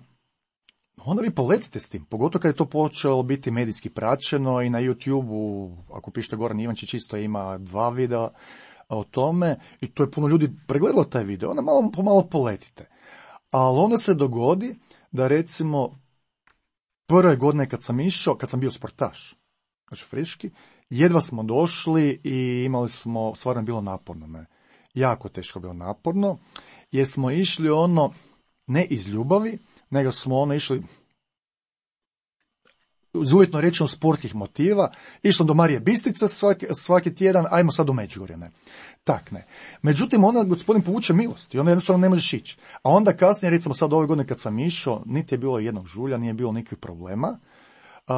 onda vi poletite s tim, pogotovo kad je to počelo biti medijski praćeno i na YouTube-u, ako pišete Goran Ivančić, isto ima dva videa o tome i to je puno ljudi pregledalo taj video, onda malo pomalo poletite. Ali onda se dogodi da recimo prve godine kad sam išao, kad sam bio sportaš, znači friški, jedva smo došli i imali smo, stvarno je bilo naporno, ne, jako teško bilo naporno, jer smo išli ono, ne iz ljubavi, nego smo ono išli uz uvjetno rečeno sportskih motiva, išli do Marije Bistrice svaki, svaki tjedan, ajmo sad do Međugorja, ne. Tak, ne. Međutim, onda Gospodin povuče milost i onda jednostavno ne možeš ići. A onda kasnije, recimo sad ove godine kad sam išao, niti je bilo jednog žulja, nije bilo nikakvih problema. Uh,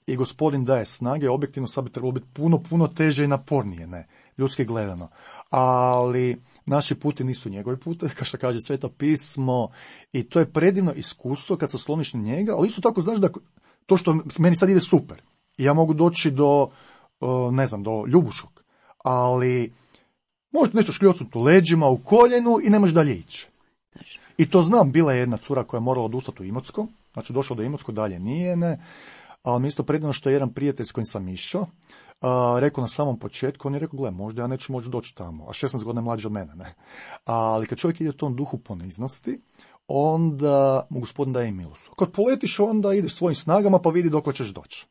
i gospodin daje snage, objektivno sad bi trebalo biti puno, puno teže i napornije, ne, ljudski gledano. Ali naši puti nisu njegovi putevi, kao što kaže Sveto pismo, i to je predivno iskustvo kad se sloniš na njega, ali isto tako znaš da to što meni sad ide super, i ja mogu doći do, ne znam, do Ljubuškog, ali možete nešto šljocnuti u leđima, u koljenu i ne možeš dalje ići. I to znam, bila je jedna cura koja je morala odustati u Imotsko, znači došla do Imotsko, dalje nije, ne, ali mi isto predivno što je jedan prijatelj s kojim sam išao, Uh, rekao na samom početku, on je rekao, gle, možda ja neću moći doći tamo, a šesnaest godina je mlađi od mene, ne. Ali kad čovjek ide u tom duhu poniznosti, onda mu gospodin daje i milost. Kad poletiš, onda ideš svojim snagama pa vidi dok ćeš doći.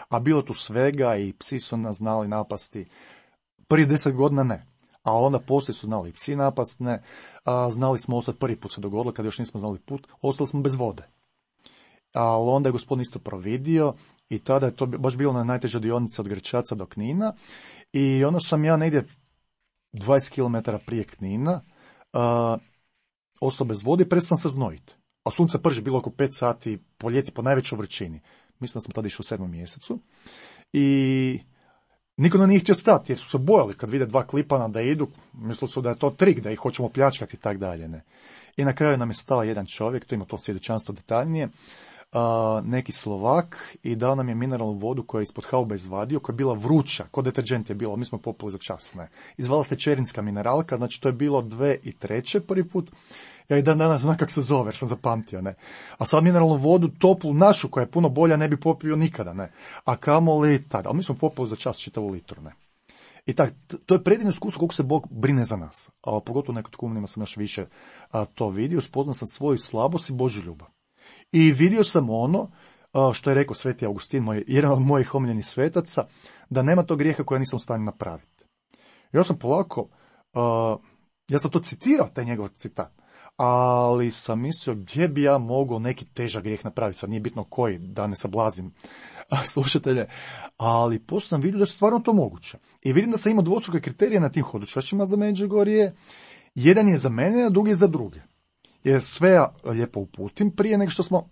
A bilo tu svega i psi su nas znali napasti. Prije deset godina ne. A onda poslije su znali i psi napast, ne. A, znali smo ostati, prvi put se dogodilo, kad još nismo znali put, ostali smo bez vode. Ali onda je gospodin isto providio i tada je to baš bilo na najtežoj dionici od Grčaca do Knina i onda sam ja negdje dvadeset kilometara prije Knina uh, ostao bez vode i prestao se znojiti. A sunce prži, bilo oko pet sati po ljeti, po najvećoj vrućini. Mislim da smo tada išli u sedmom mjesecu. I niko nam nije htio stati jer su se bojali kad vide dva klipana da idu, mislili su da je to trik, da ih hoćemo pljačkati i tak dalje. Ne. I na kraju nam je stao jedan čovjek, to ima to svjedočanstvo detaljnije, Uh, neki Slovak i dao nam je mineralnu vodu koja je ispod haube izvadio, koja je bila vruća, kod deterđent je bilo, mi smo popili za čas, ne. Izvala se čerinska mineralka, znači to je bilo dve i treće prvi put, ja i dan danas znam kak se zove, jer sam zapamtio, ne. A sad mineralnu vodu, toplu, našu, koja je puno bolja, ne bi popio nikada, ne. A kamoli tada, ali mi smo popili za čas čitavu litru, ne. I tak, to je predivno iskustvo koliko se Bog brine za nas, a pogotovo nekod kumunima sam još više a, to vidio, spoznao sam svoju slabost i Božju ljubav. I vidio sam ono što je rekao Sveti Augustin, moj, jedan od mojih omiljenih svetaca, da nema tog grijeha koja nisam u stanju napraviti. Ja sam polako, uh, ja sam to citirao, taj njegov citat, ali sam mislio gdje bi ja mogao neki težak grijeh napraviti, sad nije bitno koji, da ne sablazim slušatelje, ali poslije sam vidio da je stvarno to moguće. I vidim da sam imao dvostruke kriterije na tim hodočašćima za Međugorje, jedan je za mene, a drugi je za druge. Jer sve ja lijepo uputim prije nego što smo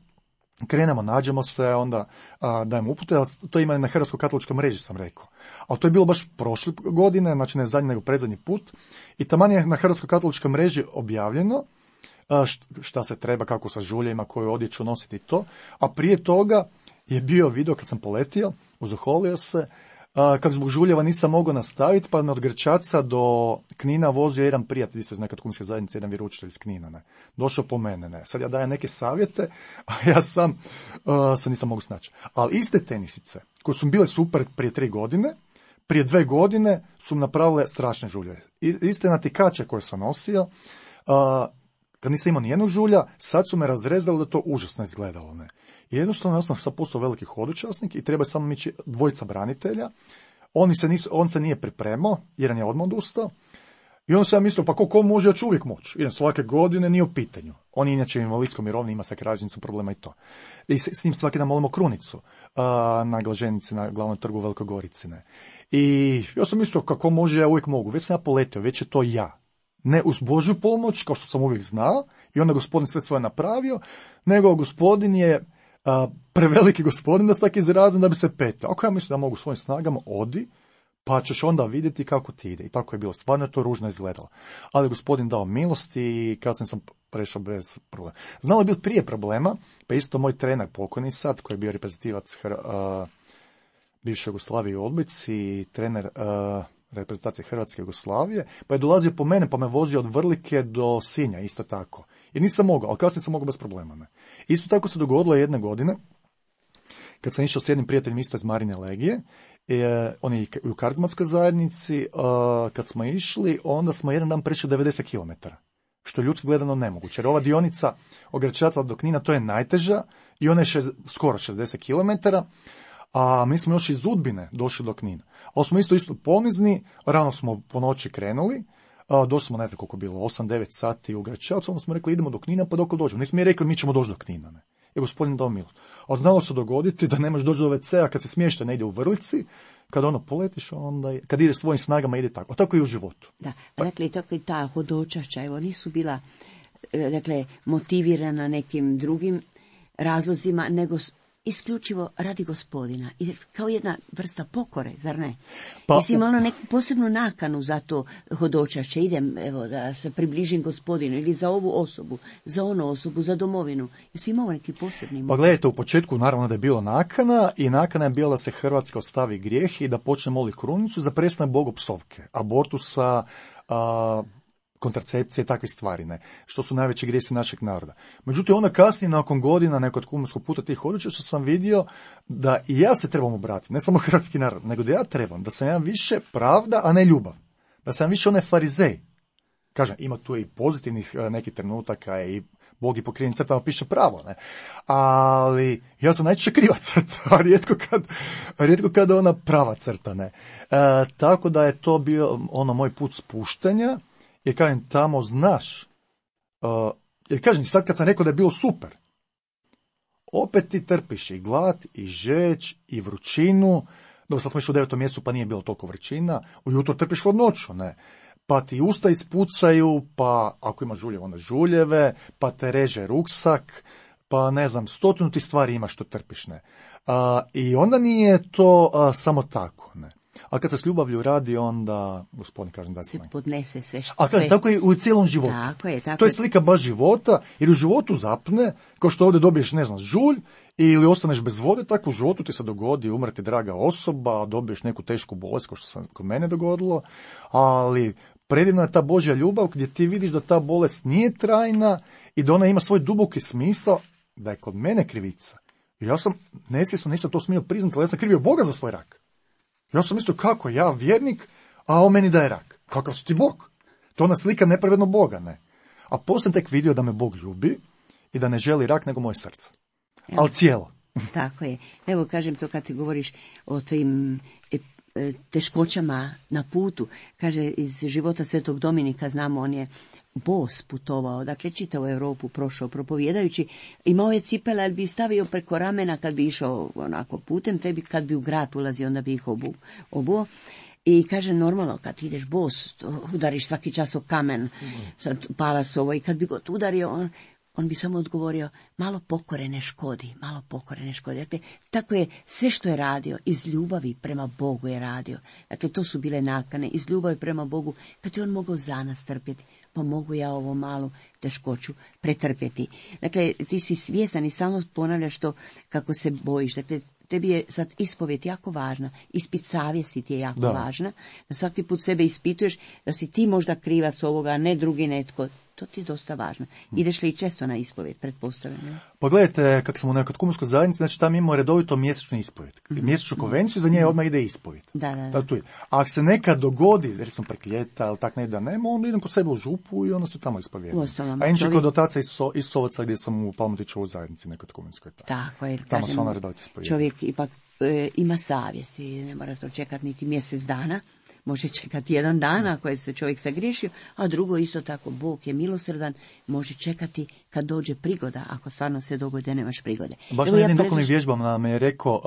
krenemo, nađemo se, onda a, dajemo upute, ali to ima na Hrvatskoj katoličkoj mreži, sam rekao. Ali to je bilo baš prošle godine, znači ne zadnji nego predzadnji put, i taman je na Hrvatskoj katoličkoj mreži objavljeno a, šta se treba, kako sa žuljevima, koju odjeću nositi to, a prije toga je bio video kad sam poletio, uzoholio se, Uh, kako zbog žuljeva nisam mogao nastaviti, pa me od Grčaca do Knina vozio jedan prijatelj isto iz neke kumske zajednice, jedan vjeroučitelj iz Knina, ne. Došao po mene, ne. Sad ja dajem neke savjete, a ja sam uh, se nisam mogu snaći. Ali iste tenisice, koje su bile super prije tri godine, prije dve godine su napravile strašne žuljeve. I, iste natikače koje sam nosio, uh, kad nisam imao nijednog žulja, sad su me razrezali da to užasno izgledalo, ne. I jednostavno ja sam sad postao veliki hodočasnik i treba samo mići dvojica branitelja. Oni se nisu, on se nije pripremao, jedan je odmah odustao. I onda sam ja mislio, pa ko, ko može, ja ću uvijek moći. Idem svake godine, nije u pitanju. On je inače invalidskom mirovni, ima sa krađenicu problema i to. I s, s njim svaki dan molimo krunicu uh, na Glaženici, na glavnom trgu u Velikoj Gorici. Ne. I ja sam mislio, kako može, ja uvijek mogu. Već sam ja poletio, već je to ja. Ne uz Božju pomoć, kao što sam uvijek znao, i onda gospodin sve svoje napravio, nego gospodin je A, preveliki gospodin da se tako izrazim da bi se petio. Ako ja mislim da mogu svojim snagama, odi, pa ćeš onda vidjeti kako ti ide. I tako je bilo. Stvarno je to ružno izgledalo. Ali gospodin dao milost i kasnije sam prešao bez problema. Znalo je bilo prije problema, pa isto moj trener pokojni sad, koji je bio reprezentativac Hr- uh, bivše Jugoslavije u odbojci i trener uh, reprezentacije Hrvatske Jugoslavije, pa je dolazio po mene, pa me vozio od Vrlike do Sinja, isto tako. Jer nisam mogao, ali kasnije sam mogao bez problema. Ne. Isto tako se dogodilo jedne godine, kad sam išao s jednim prijateljem isto iz Marine Legije, e, on je u karizmatskoj zajednici, a, kad smo išli, onda smo jedan dan prešli devedeset kilometara, što je ljudski gledano nemoguće. Jer ova dionica od Grčaca do Knina, to je najteža i ona je šez, skoro šezdeset kilometara, a mi smo još iz Udbine došli do Knina. Ali smo isto isto ponizni, rano smo po noći krenuli, a, došli smo, ne znam koliko je bilo, osam devet sati u Grčacu, onda smo rekli idemo do Knina pa dok dođemo. Nismo mi rekli mi ćemo doći do Knina, ne. I gospodin dao milost. A znalo se dogoditi da nemaš doći do ve cea kad se smješta negdje u Vrlici, kad ono poletiš, onda, kad ideš svojim snagama, ide tako. A tako i u životu. Da, dakle, tako i ta hodočašća, evo, nisu bila, dakle, motivirana nekim drugim razlozima, nego isključivo radi Gospodina, i kao jedna vrsta pokore, zar ne? Pa- Jesi imala neku posebnu nakanu za to hodočašće, idem evo da se približim Gospodinu, ili za ovu osobu, za onu osobu, za domovinu. Jesi imao neki posebni? Pa gledajte, u početku naravno da je bilo nakana i nakana je bila da se Hrvatska ostavi grijeh i da počne moliti krunicu za prestanak bogopsovke, abortusa, a, kontracepcije i takve stvari, ne, što su najveći grijesi našeg naroda. Međutim, onda kasnije, nakon godina nekog kumarskog puta tih odličja, što sam vidio da i ja se trebam obratiti, ne samo hrvatski narod, nego da ja trebam, da sam ja više pravda, a ne ljubav. Da sam više onaj farizej. Kažem, ima tu i pozitivnih e, nekih trenutaka i Bog i pokrivenim crtama piše pravo, ne. Ali ja sam najčešće kriva crta, a rijetko kad, rijetko kad ona prava crta, ne. E, tako da je to bio ono moj put spuštanja, jer kažem, tamo znaš, uh, jer kažem, sad kad sam rekao da je bilo super, opet ti trpiš i glad, i žeđ, i vrućinu, dobro, sad smo išli u devetom mjesecu, pa nije bilo toliko vrućina, ujutro trpiš hladnoću, ne, pa ti usta ispucaju, pa ako ima žuljeve, onda žuljeve, pa te reže ruksak, pa ne znam, stotinu ti stvari imaš što trpiš, ne. Uh, I onda nije to uh, samo tako, ne. A kad se s ljubavlju radi, onda, gospodin, kažem da Se se podnese sve što... A sve. tako je u cijelom životu. Tako je, tako To je je. slika baš života, jer u životu zapne, kao što ovdje dobiješ, ne znam, žulj, ili ostaneš bez vode, tako u životu ti se dogodi, umrti draga osoba, dobiješ neku tešku bolest, kao što se kod mene dogodilo, ali predivna je ta Božja ljubav, gdje ti vidiš da ta bolest nije trajna i da ona ima svoj duboki smisao, da je kod mene krivica. I ja sam, nesvjesno nisam to smio priznati, ali ja sam krivio Boga za svoj rak. Ja sam mislio, kako, ja vjernik, a on meni daje rak. Kakav su ti Bog? To ona slika nepravedno Boga, ne. A poslije sam tek vidio da me Bog ljubi i da ne želi rak nego moje srce. Evo. Ali cijelo. Tako je. Evo, kažem to kad ti govoriš o tim e, e, teškoćama na putu. Kaže, iz života Svetog Dominika, znamo, on je bos putovao, dakle čitavu Europu prošao propovjedajući, imao je cipele, ali bi stavio preko ramena kad bi išao onako putem, tebi kad bi u grad ulazio, onda bi ih obu, obuo. I kaže, normalno, kad ideš bos, udariš svaki čas o kamen, sad palasovo, i kad bi god udario, on, on bi samo odgovorio, malo pokore ne škodi, malo pokore ne škodi. Dakle, tako je sve što je radio, iz ljubavi prema Bogu je radio. Dakle, to su bile nakane, iz ljubavi prema Bogu, kad je on mogao za nas trpjeti, pa mogu ja ovo malu teškoću pretrpjeti. Dakle, ti si svjestan i samo ponavljaš to kako se bojiš. Dakle, tebi je sad ispovijed jako važna, ispit savjesti ti je jako Da. važna, da svaki put sebe ispituješ, da si ti možda krivac ovoga, a ne drugi netko. To ti je dosta važno. Ideš li i često na ispovijed, pretpostavljam? Ne? Pa gledajte, kako sam u nekoj kumarskoj zajednici, znači tamo imamo redovito mjesečnu ispovijed. Mjesečnu konvenciju, za nje odmah ide ispovijed. Da, da, da. Da, tu je. A ako se nekad dogodi, recimo prek ljeta ili tak ne da nema, onda idem kod sebe u župu i onda se tamo ispovijedam. Uostalom, A inače čovjek- kod otaca Iso, Isovaca gdje sam u Palmotićevoj zajednici, nekoj kumarskoj. Tako je, Tamo kažem, se ona redovito ispovijeda. čovjek ipak e, ima savjest i ne mora to čekati niti mjesec dana, može čekati jedan dan ako je se čovjek sagriješio, a drugo isto tako, Bog je milosrdan, može čekati kad dođe prigoda, ako stvarno se dogodi da nemaš prigode. Baš Evo, na ja jednim predlažem- duhovnim vježbama me je rekao,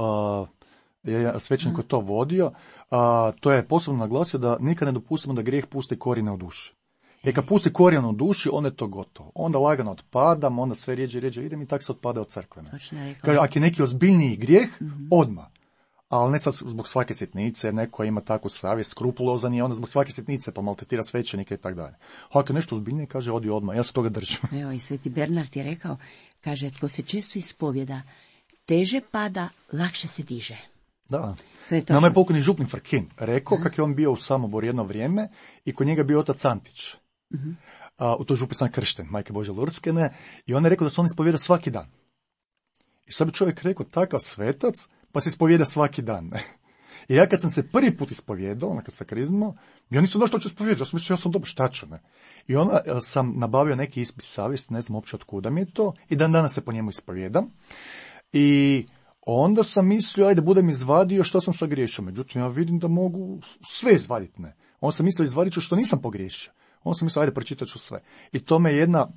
uh, je je svećenik koji to vodio, uh, to je posebno naglasio da nikad ne dopustimo da grijeh pusti korijene u duši. Jer kad pusti korijen u duši, onda je to gotovo. Onda lagano otpadam, onda sve rijeđe i rijeđe idem i tak se otpada od crkve. ne. Točno je rekao. Kaže, ako je neki ozbiljniji grijeh, odmah. Ali ne sad zbog svake sitnice, jer neko ima takvu savjest, skrupulozan je, onda zbog svake sitnice pa maltretira svećenike i tako dalje. A ako je nešto ozbiljnije, kaže, odi odmah, ja se toga držim. Evo, i Sveti Bernard je rekao, kaže, tko se često ispovjeda, teže pada, lakše se diže. Da. To je točno. Nama je pokojni župnik Frkin rekao kako je on bio u Samoboru jedno vrijeme i kod njega je bio otac Antić. A, u toj župi sam kršten, majke Bože Lurskene, i on je rekao da se on ispovjeda svaki dan. I sad bi čovjek rekao, takav svetac, pa se ispovjeda svaki dan. I ja kad sam se prvi put ispovjedao, ono kad sam kriznuo, ja nisam došao što ispovjedao, ja sam mislio, ja sam dobro, šta ću, ne. I onda e, sam nabavio neki ispit savjesti, ne znam uopće od kuda mi je to, i dan danas se po njemu ispovjedam. I onda sam mislio, ajde, budem izvadio što sam sagriješio. Međutim, ja vidim da mogu sve izvaditi, ne. On sam mislio, izvadit ću što nisam pogriješio. On sam mislio, ajde, pročitat ću sve. I to me jedna,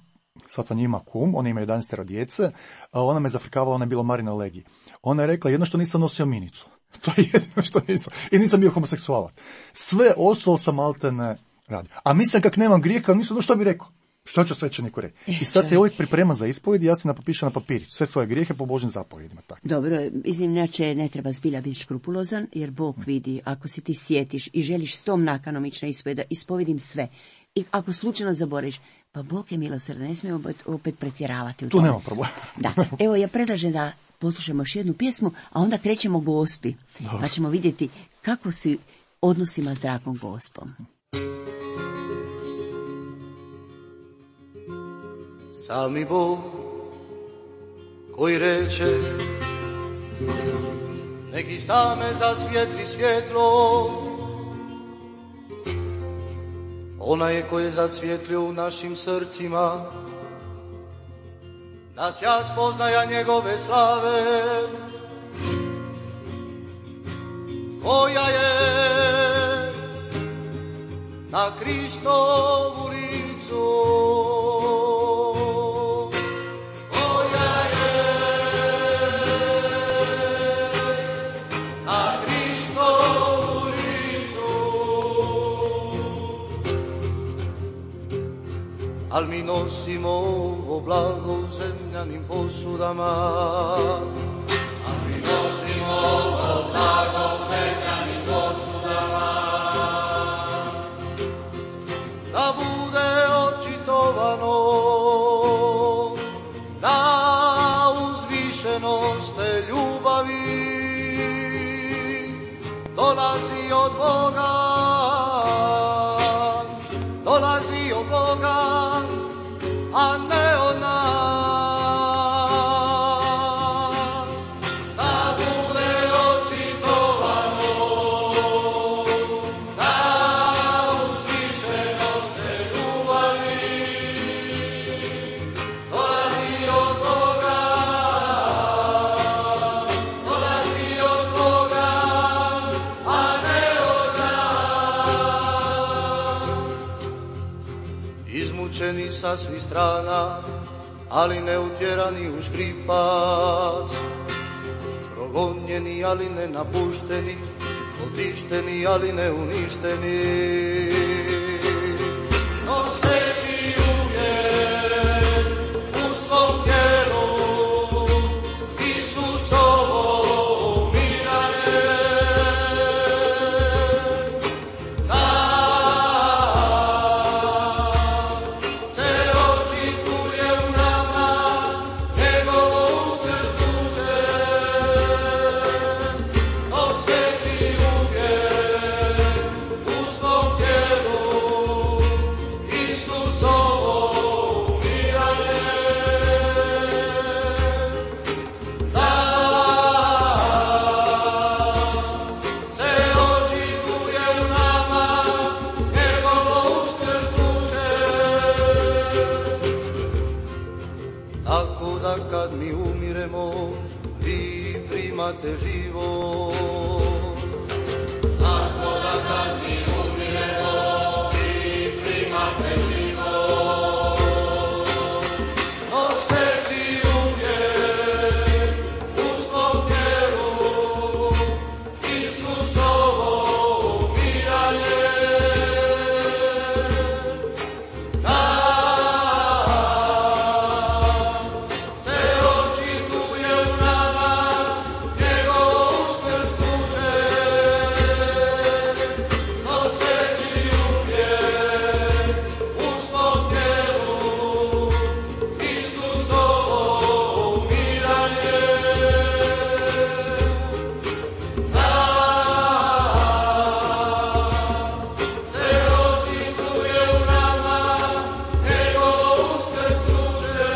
sad sam njima kum, ona ima jedanaest djece, a ona me zafrkavala, ona je bila Marina Legi. Ona je rekla, jedno što nisam nosio minicu. To je jedino što nisam. I nisam bio homoseksualac. Sve ostalo sam maltene radio. A mislim, kak nemam grijeha, nisam, no što bi rekao? Što će svećeniku reći? I sad se uvijek priprema za ispovjed i ja se napišem na papirić sve svoje grijehe po Božim zapovjedima. Tako. Dobro, inače ne treba zbilja biti škrupulozan, jer Bog vidi, ako si ti sjetiš i želiš s tom nakanom ići na ispovjed, da ispovedim sve. I ako slučajno zaboraviš, pa Bog je milosrdan, ne smijemo opet pretjeravati u tu tome. nema problema. Da, evo ja predlažem da poslušamo još jednu pjesmu, a onda krećemo Gospi. Dobro. Pa ćemo vidjeti kako si odnosima s dragom Gospom. Sami Bog koji reče neki stame zasvijetli svjetlo, ona je koji je zasvjetlio u našim srcima, nas ja spoznaja njegove slave, koja je na Kristovu licu, koja je na Kristovu licu, al mi nosimo ovo blago u zemljanim posudama, al mi nosimo ovo blago u zemljanim posudama, da bude očitovano na uzvišenost te ljubavi, dolazi od Boga, dolazi od Boga, a ne od nas. Da bude očitovano na uzvišenost te ljubavi, dolazi od Boga, dolazi od Boga, a ne od nas. Izmučeni sa svih strana, ali ne utjerani u škripac, progonjeni, ali ne napušteni, otišteni, ali ne uništeni, noseći uvijek u svom tijelu Isusovo umiranje, da se očituje u nama njegovo uskrsnuće, noseći uvijek u svom tijelu Isusovo umiranje, da se očituje u nama njegovo uskrsnuće, tako da kad mi umiremo vi primate život, tako da kad mi umiremo vi primate život, noseći uvijek u svom tijelu Isusovo umiranje, da se očituje u nama njegovo uskrsnuće, noseći uvijek u svom tijelu Isusovo umiranje, da se očituje u nama njegovo uskrsnuće.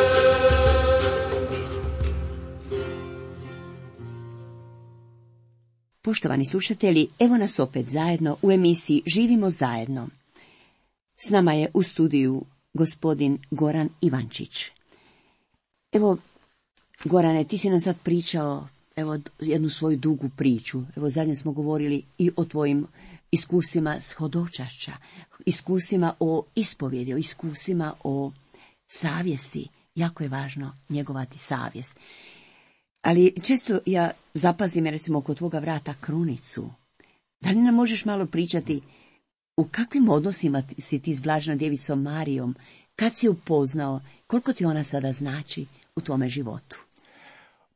Poštovani slušatelji, evo nas opet zajedno u emisiji Živimo zajedno. S nama je u studiju gospodin Goran Ivančić. Evo, Gorane, ti si nam sad pričao evo, jednu svoju dugu priču. Evo, zadnje smo govorili i o tvojim iskusima s hodočašća, iskusima o ispovjedi, o iskusima o savjesti. Jako je važno njegovati savjest. Ali često ja zapazim, recimo, oko tvoga vrata krunicu. Da li nam možeš malo pričati u kakvim odnosima si ti s Blaženom djevicom Marijom Kad si upoznao, koliko ti ona sada znači u tvome životu?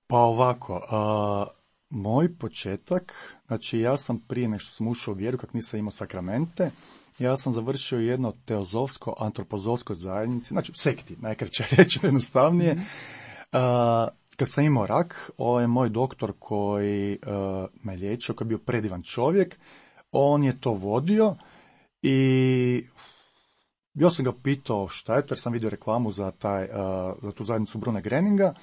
Pa ovako, a, moj početak, znači ja sam prije nego što sam ušao u vjeru, kak nisam imao sakramente, ja sam završio jedno teozofsko-antropozofsko zajednici, znači u sekti, najkraće reći jednostavnije. A, kad sam imao rak, ovo je moj doktor koji a, me liječio, koji je bio predivan čovjek, on je to vodio i ja sam ga pitao šta je to, jer sam vidio reklamu za, taj, uh, za tu zajednicu Brune Greninga.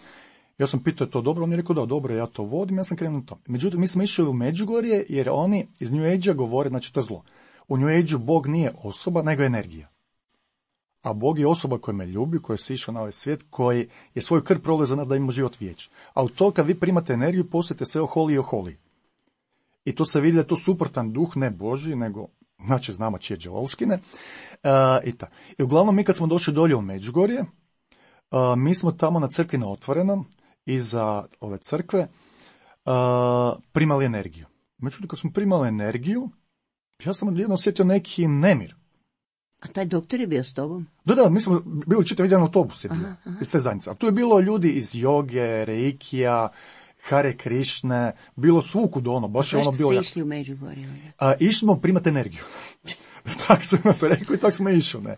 Ja sam pitao je to dobro, on je rekao da dobro, ja to vodim, ja sam krenuo na to. Međutim, mi smo išli u Međugorje jer oni iz New Age-a govore, znači to je zlo. U New Age-u Bog nije osoba, nego energija. A Bog je osoba koja me ljubi, koja je sišao na ovaj svijet, koji je svoju krv prolio za nas da imamo život vječni. A u to kad vi primate energiju, postajete sve oholi i oholi. I to se vidi da je to suprotan duh, ne Božji, nego znači znamo čije đavolskine. Uh, i, ta. I uglavnom mi kad smo došli dolje u Međugorje, uh, mi smo tamo na crkvi na otvorenom, iza ove crkve, uh, primali energiju. Međutim, kad smo primali energiju, ja sam jedno osjetio neki nemir. A taj doktor je bio s tobom? Da, da, mi smo bili čitav jedan autobus je bio, aha, aha. iz te zajednice. A tu je bilo ljudi iz joge, reikija, Hare Krišne, bilo svukud ono, baš je ono bilo... Zašto ste išli u Međugorje? A, išli smo primati energiju. Tako su nas rekli i tako smo išli, ne.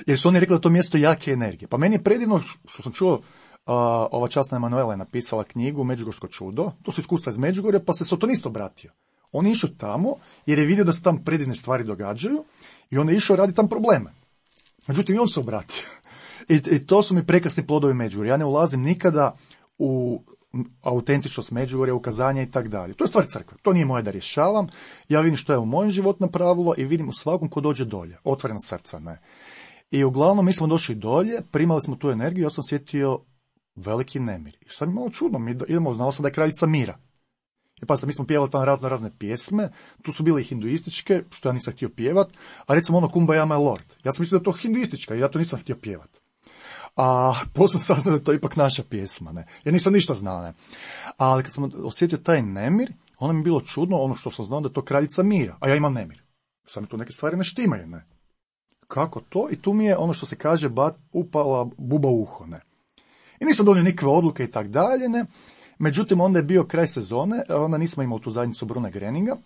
Jer su oni rekli da to mjesto jake energije. Pa meni je predivno što sam čuo, a, ova časna Emanuela je napisala knjigu Međugorsko čudo, to su iskustva iz Međugorja, pa se sotonist obratio. On je išao tamo jer je vidio da se tam predivne stvari događaju i on je išao radi tam probleme. Međutim, i on se obratio. I, i to su mi prekrasni plodovi Međugorja. Ja ne ulazim nikada u autentičnost Međugorja, ukazanja i tak dalje. To je stvar crkve. To nije moje da rješavam. Ja vidim što je u mojem život napravilo i vidim u svakom ko dođe dolje. Otvorena srca, ne. I uglavnom mi smo došli dolje, primali smo tu energiju, ja sam osjetio veliki nemir. I sad mi malo čudno, mi idemo, znao sam da je kraljica mira. I pa mi smo pjevali tamo razno razne pjesme, tu su bile i hinduističke, što ja nisam htio pjevat, a recimo ono Kumbaya my lord. Ja sam mislio da je to hinduistička i ja to nisam htio pjevat. A poslije sam saznao da je to ipak naša pjesma, ne. Ja nisam ništa znao, ne. Ali kad sam osjetio taj nemir, ono mi je bilo čudno, ono što sam znao da je to kraljica mira, a ja imam nemir. Sad mi tu neke stvari ne štimaju, ne. Kako to? I tu mi je ono što se kaže bat, upala buba u uho, ne. I nisam donio nikakve odluke i tak dalje, ne. Međutim, onda je bio kraj sezone, onda nismo imali tu zajednicu Brune Greninga,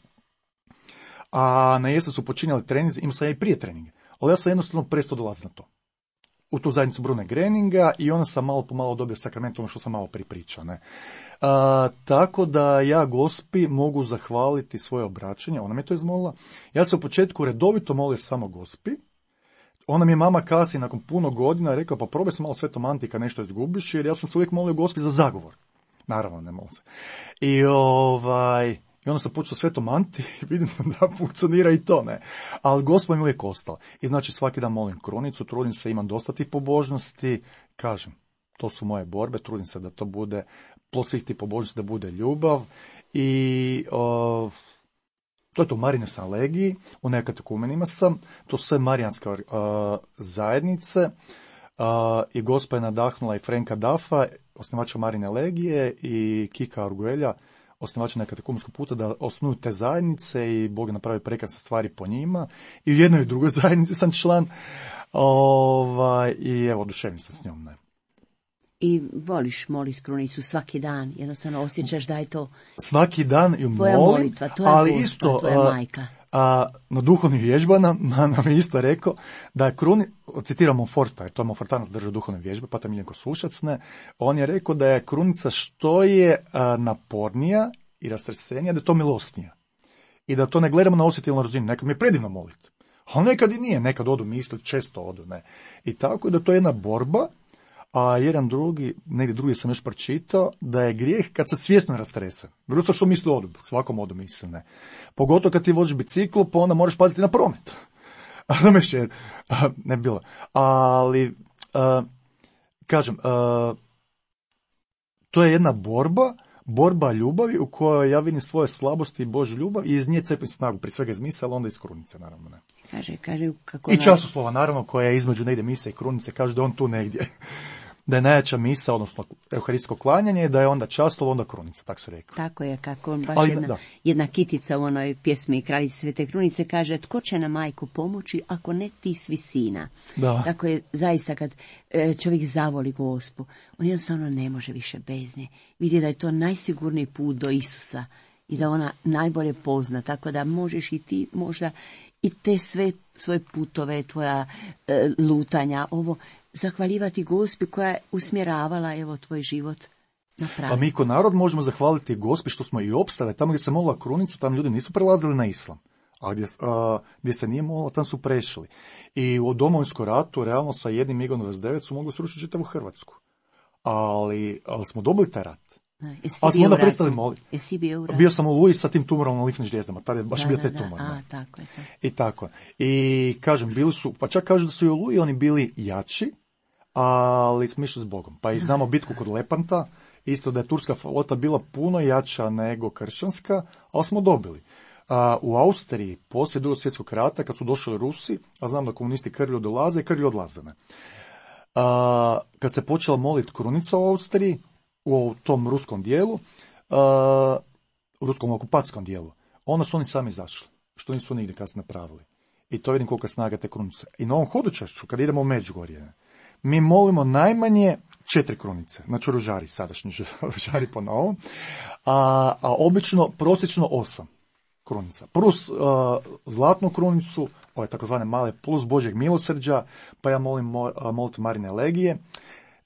a na jesen su počinjali treninzi, imao sam ja i prije treninge, ali ja sam jednostavno prestao dolaziti na to. U tu zajednicu Brune Greninga i onda sam malo po malo dobio sakrament, ono što sam malo pripričao. Ne? A, tako da ja Gospi mogu zahvaliti svoje obraćanje, ona mi je to izmolila. Ja se u početku redovito molio samo Gospi, ona mi je mama kasnije nakon puno godina rekla pa probaj se malo Svetom Antika nešto izgubiš, jer ja sam se uvijek molio Gospi za zagovor. Naravno, ne molim se. I ovaj... I onda sam počeo Svetom Anti i vidim da funkcionira i to, ne. Ali Gospod mi uvijek ostala. I znači svaki dan molim krunicu, trudim se, imam dosta tih pobožnosti, kažem, to su moje borbe, trudim se da to bude, plod svih tih pobožnosti da bude ljubav. I uh, to je to, Marinoj sam legiji, u nekatekumenima sam, to su sve marijanske uh, zajednice. Uh, I Gospod je nadahnula i Frenka Dafa, osnivača Marine legije, i Kika Arguelja, osnivača nekatekumenskog puta, da osnuju te zajednice i Bog je napravio prekrasne stvari po njima. I u jednoj i drugoj zajednici sam član. Ovaj, I evo, oduševim se s njom. Ne. I voliš moliti krunicu svaki dan, jednostavno osjećaš da je to svaki dan ju tvoja molim, molitva, tvoja ali Gospa, isto, tvoja a, majka. A na duhovnim vježbama nam je isto rekao da je kruni, citiram Monforta, jer to je Monfortanac držao duhovne vježbe, pa to Miljenko Sušac, ne, on je rekao da je krunica što je a, napornija i rastresenija, da je to milosnija. I da to ne gledamo na osjetilnu razinu, nekad mi je predivno moliti. A nekad i nije, nekad odu misli, često odu, ne. I tako da to je jedna borba, a jedan drugi, negdje drugi sam još pročitao, da je grijeh kad se svjesno rastrese. Drugo što misli odu, svakom odu misli, ne. Pogotovo kad ti voziš biciklu, pa onda moraš paziti na promet. A me še, ne bilo. Ali, a, kažem, a, to je jedna borba, borba ljubavi u kojoj ja vidim svoje slabosti i Božju ljubav i iz nje cepim snagu, prije svega iz mise, ali onda iz krunice, naravno, ne. Kaže, kaže, kako I časoslova, naravno, koja je između negdje mise i krunice, kaže da on tu negdje. da je najjača misa, odnosno euharistijsko klanjanje, da je onda časlov, onda krunica, tako su rekli. Tako je, kako baš Ali, jedna, da. jedna kitica u onoj pjesmi Kraljice Svete Krunice kaže, tko će nam majku pomoći ako ne ti svi sina. Da. Tako je zaista kad e, čovjek zavoli Gospu, on jednostavno ne može više bez nje. Vidi da je to najsigurniji put do Isusa i da ona najbolje pozna, tako da možeš i ti možda i te sve svoje putove, tvoja e, lutanja, ovo, zahvaljivati Gospi koja je usmjeravala evo tvoj život na pravi. Pa mi ko narod možemo zahvaliti Gospi što smo i opstave. Tamo gdje se molila krunica, tam ljudi nisu prelazili na islam. A gdje, a, gdje se nije molila, tam su prešli. I u Domovinskom ratu, realno sa jednim migom dvadeset devet su mogli srušiti čitavu Hrvatsku. Ali, ali smo dobili taj rat. Ali smo onda prestali moliti. Jesi ti bio u ratu? Bio sam u Luji sa tim tumorom na limfnim žlijezdama. Tada je baš Da, bio da, taj da. tumor. A, ne. tako je, tako. I tako. I kažem, bili su, pa čak kažu da su i u Luji oni bili jači, ali smo išli s Bogom. Pa i znamo bitku kod Lepanta, isto da je turska flota bila puno jača nego kršćanska, ali smo dobili. A, u Austriji, poslije Drugog svjetskog rata, kad su došli Rusi, a znam da komunisti krvlju dolaze i krvlju odlaze. Ne. A, kad se počela moliti krunica u Austriji, u tom ruskom dijelu, a, u ruskom okupacijskom dijelu, onda su oni sami izašli, što nisu nigdje kad se napravili. I to vidim koliko je snaga te krunice. I na ovom hodočašću, kad idemo u Međugorje, mi molimo najmanje četiri krunice, znači ružari, sadašnji ružari po novom, a, a obično prosječno osam krunica. Plus uh, zlatnu krunicu, ove takozvane male, plus Božjeg milosrđa, pa ja molim mo, molitvu Marine Legije.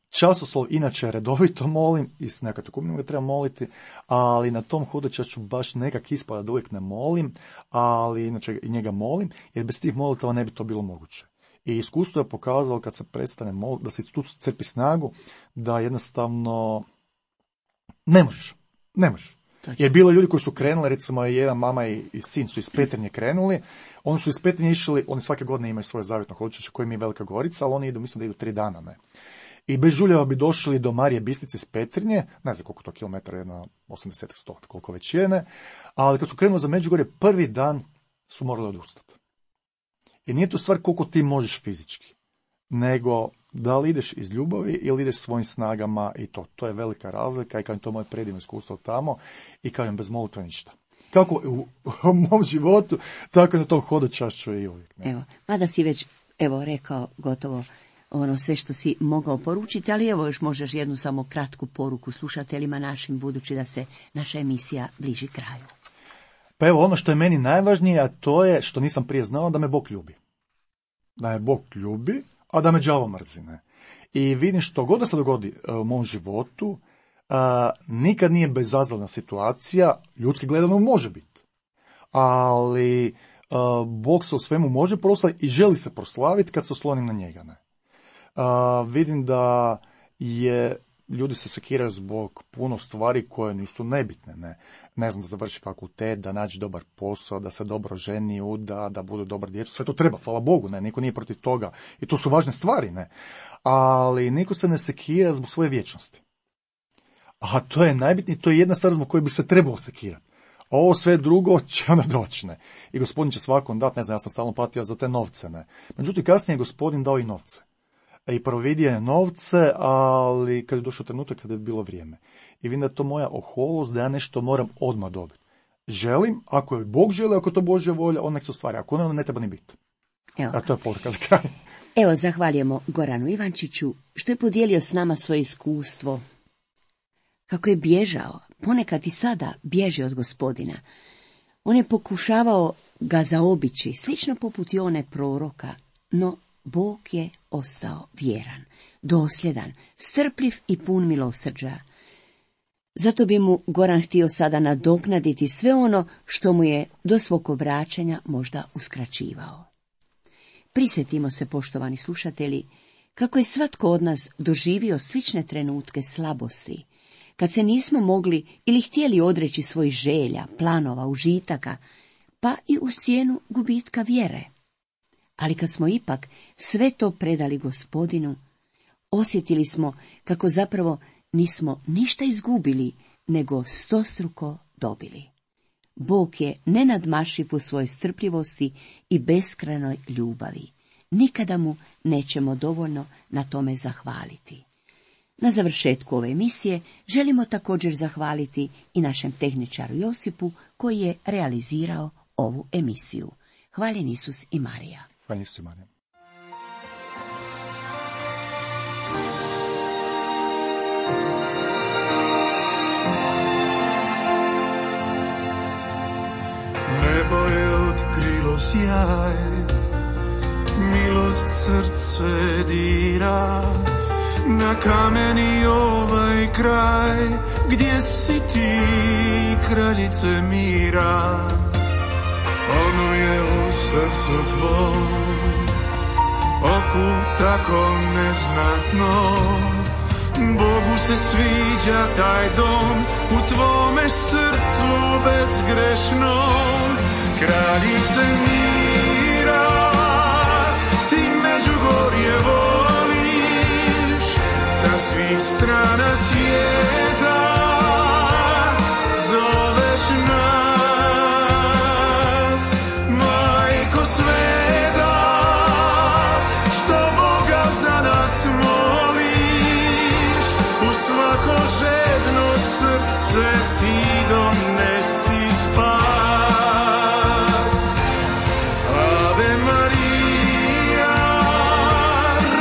Časoslov inače redovito molim, i s nekad tukumnim ga treba moliti, ali na tom hodočašću baš nekak ispada da uvijek ne molim, ali inače i njega molim, jer bez tih molitava ne bi to bilo moguće. I iskustvo je pokazalo kad se prestane moliti, da se tu crpi snagu, da jednostavno ne možeš, ne možeš. Jer bilo ljudi koji su krenuli, recimo jedan mama i, i sin su iz Petrinje krenuli, oni su iz Petrinje išli, oni svake godine imaju svoje zavjetno hodočašće koje mi je Velika Gorica, ali oni idu, mislim da idu tri dana, ne. I bez žuljeva bi došli do Marije Bistrice iz Petrinje, ne znam koliko to kilometara, jedno osamdeset sto, koliko već je, ne, ali kad su krenuli za Međugorje, prvi dan su morali odustati. I nije to stvar koliko ti možeš fizički, nego da li ideš iz ljubavi ili ideš svojim snagama i to. To je velika razlika i kažem, to je moje predivno iskustvo tamo i kažem, bez molitve ništa. Kako u, u mom životu, tako i na tom hodočašću i uvijek. Ne? Evo, mada si već, evo, rekao gotovo ono sve što si mogao poručiti, ali evo još možeš jednu samo kratku poruku slušateljima našim, budući da se naša emisija bliži kraju. Pa evo, ono što je meni najvažnije, a to je što nisam prije znao, da me Bog ljubi. Da me Bog ljubi, a da me đavo mrzi. Ne? I vidim što god da se dogodi u mom životu, a, nikad nije bezazlena situacija, ljudski gledano može biti. Ali a, Bog se u svemu može proslaviti i želi se proslaviti kad se oslonim na njega. Ne? A, vidim da je ljudi se sekiraju zbog puno stvari koje nisu nebitne. Ne, ne znam, da završi fakultet, da nađe dobar posao, da se dobro ženi, uda, da budu dobra djeca. Sve to treba, hvala Bogu, ne, niko nije protiv toga. I to su važne stvari, ne. Ali niko se ne sekira zbog svoje vječnosti. A to je najbitnije, to je jedna stvar zbog koje bi se trebalo sekirati. A ovo sve drugo će onda doći, ne. I gospodin će svakom dati, ne znam, ja sam stalno patio za te novce, ne. Međutim, kasnije je gospodin dao i novce. I providio je novce, ali kad je došao trenutak kada je bilo vrijeme. I vidim da je to moja oholost, da ja nešto moram odmah dobiti. Želim, ako je Bog želi, ako je to Božja volja, on nek se ostvari. Ako ne, onda ne treba ni biti. Evo. A to je poruka za kraj. Evo, zahvaljujemo Goranu Ivančiću što je podijelio s nama svoje iskustvo. Kako je bježao, ponekad i sada bježi od gospodina. On je pokušavao ga zaobići, slično poput i one proroka, no Bog je ostao vjeran, dosljedan, strpljiv i pun milosrđa. Zato bi mu Goran htio sada nadoknaditi sve ono što mu je do svog obraćanja možda uskraćivao. Prisjetimo se, poštovani slušatelji, kako je svatko od nas doživio slične trenutke slabosti, kad se nismo mogli ili htjeli odreći svojih želja, planova, užitaka, pa i uz cijenu gubitka vjere. Ali kad smo ipak sve to predali gospodinu, osjetili smo kako zapravo nismo ništa izgubili, nego stostruko dobili. Bog je nenadmašiv u svojoj strpljivosti i beskrajnoj ljubavi. Nikada mu nećemo dovoljno na tome zahvaliti. Na završetku ove emisije želimo također zahvaliti i našem tehničaru Josipu koji je realizirao ovu emisiju. Hvaljen Isus i Marija. Hvaljen Isus i Marija. Nebo je otkrilo sjaj, milost srce dira, na kameni ovaj kraj, gdje si ti, kraljice mira. Ono je u srcu tvom, oku tako neznatno, Bogu se sviđa taj dom, u tvome srcu bezgrešnom. Kraljice mira, ti Međugorje voliš, sa svih strana svijeta zoveš nas, Majko sveta, što Boga za nas moliš, u svako žedno srce ti donesi spas. Ave Maria,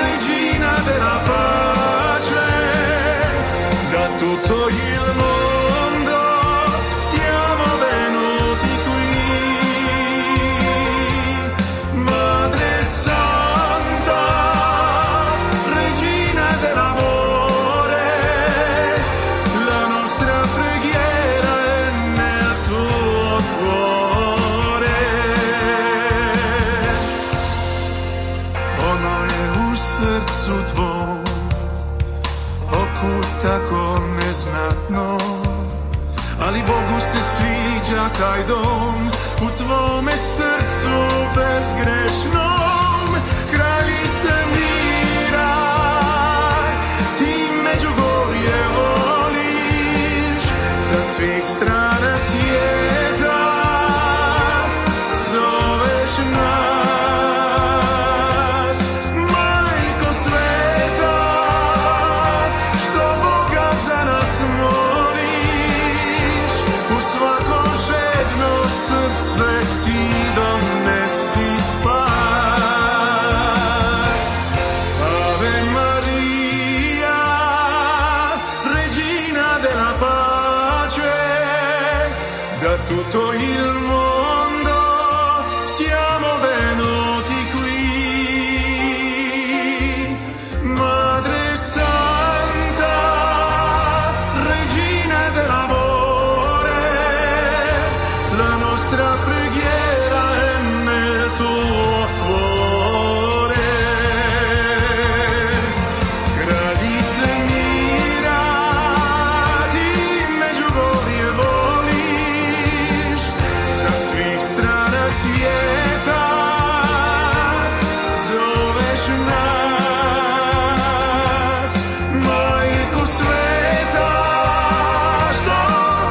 regina della pace, da tutto il mondo siamo venuti qui. Madre Santa, regina dell'amore, la nostra preghiera è nel tuo cuore. Ono je u srcu tvom, oku tako neznatno, ali Bogu se sviđa taj dom, u tvome srcu bezgrešnom. Kraljice mira, ti Međugorje voliš, sa svih strana svijeta zoveš nas, Majko sveta, što Boga za nas moliš, u svako žedno srce ti donesi spas. Ave Maria, regina della pace, da tutto il mondo siamo venuti qui. Madre Santa, regina dell'amore, la nostra preghiera è nel tuo cuore. Kraljice mira, ti Međugorje voliš, sa svih strana svijeta zoveš nas, Majko sveta, što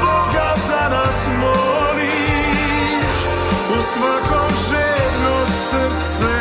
Boga za nas moliš, u svako žedno srce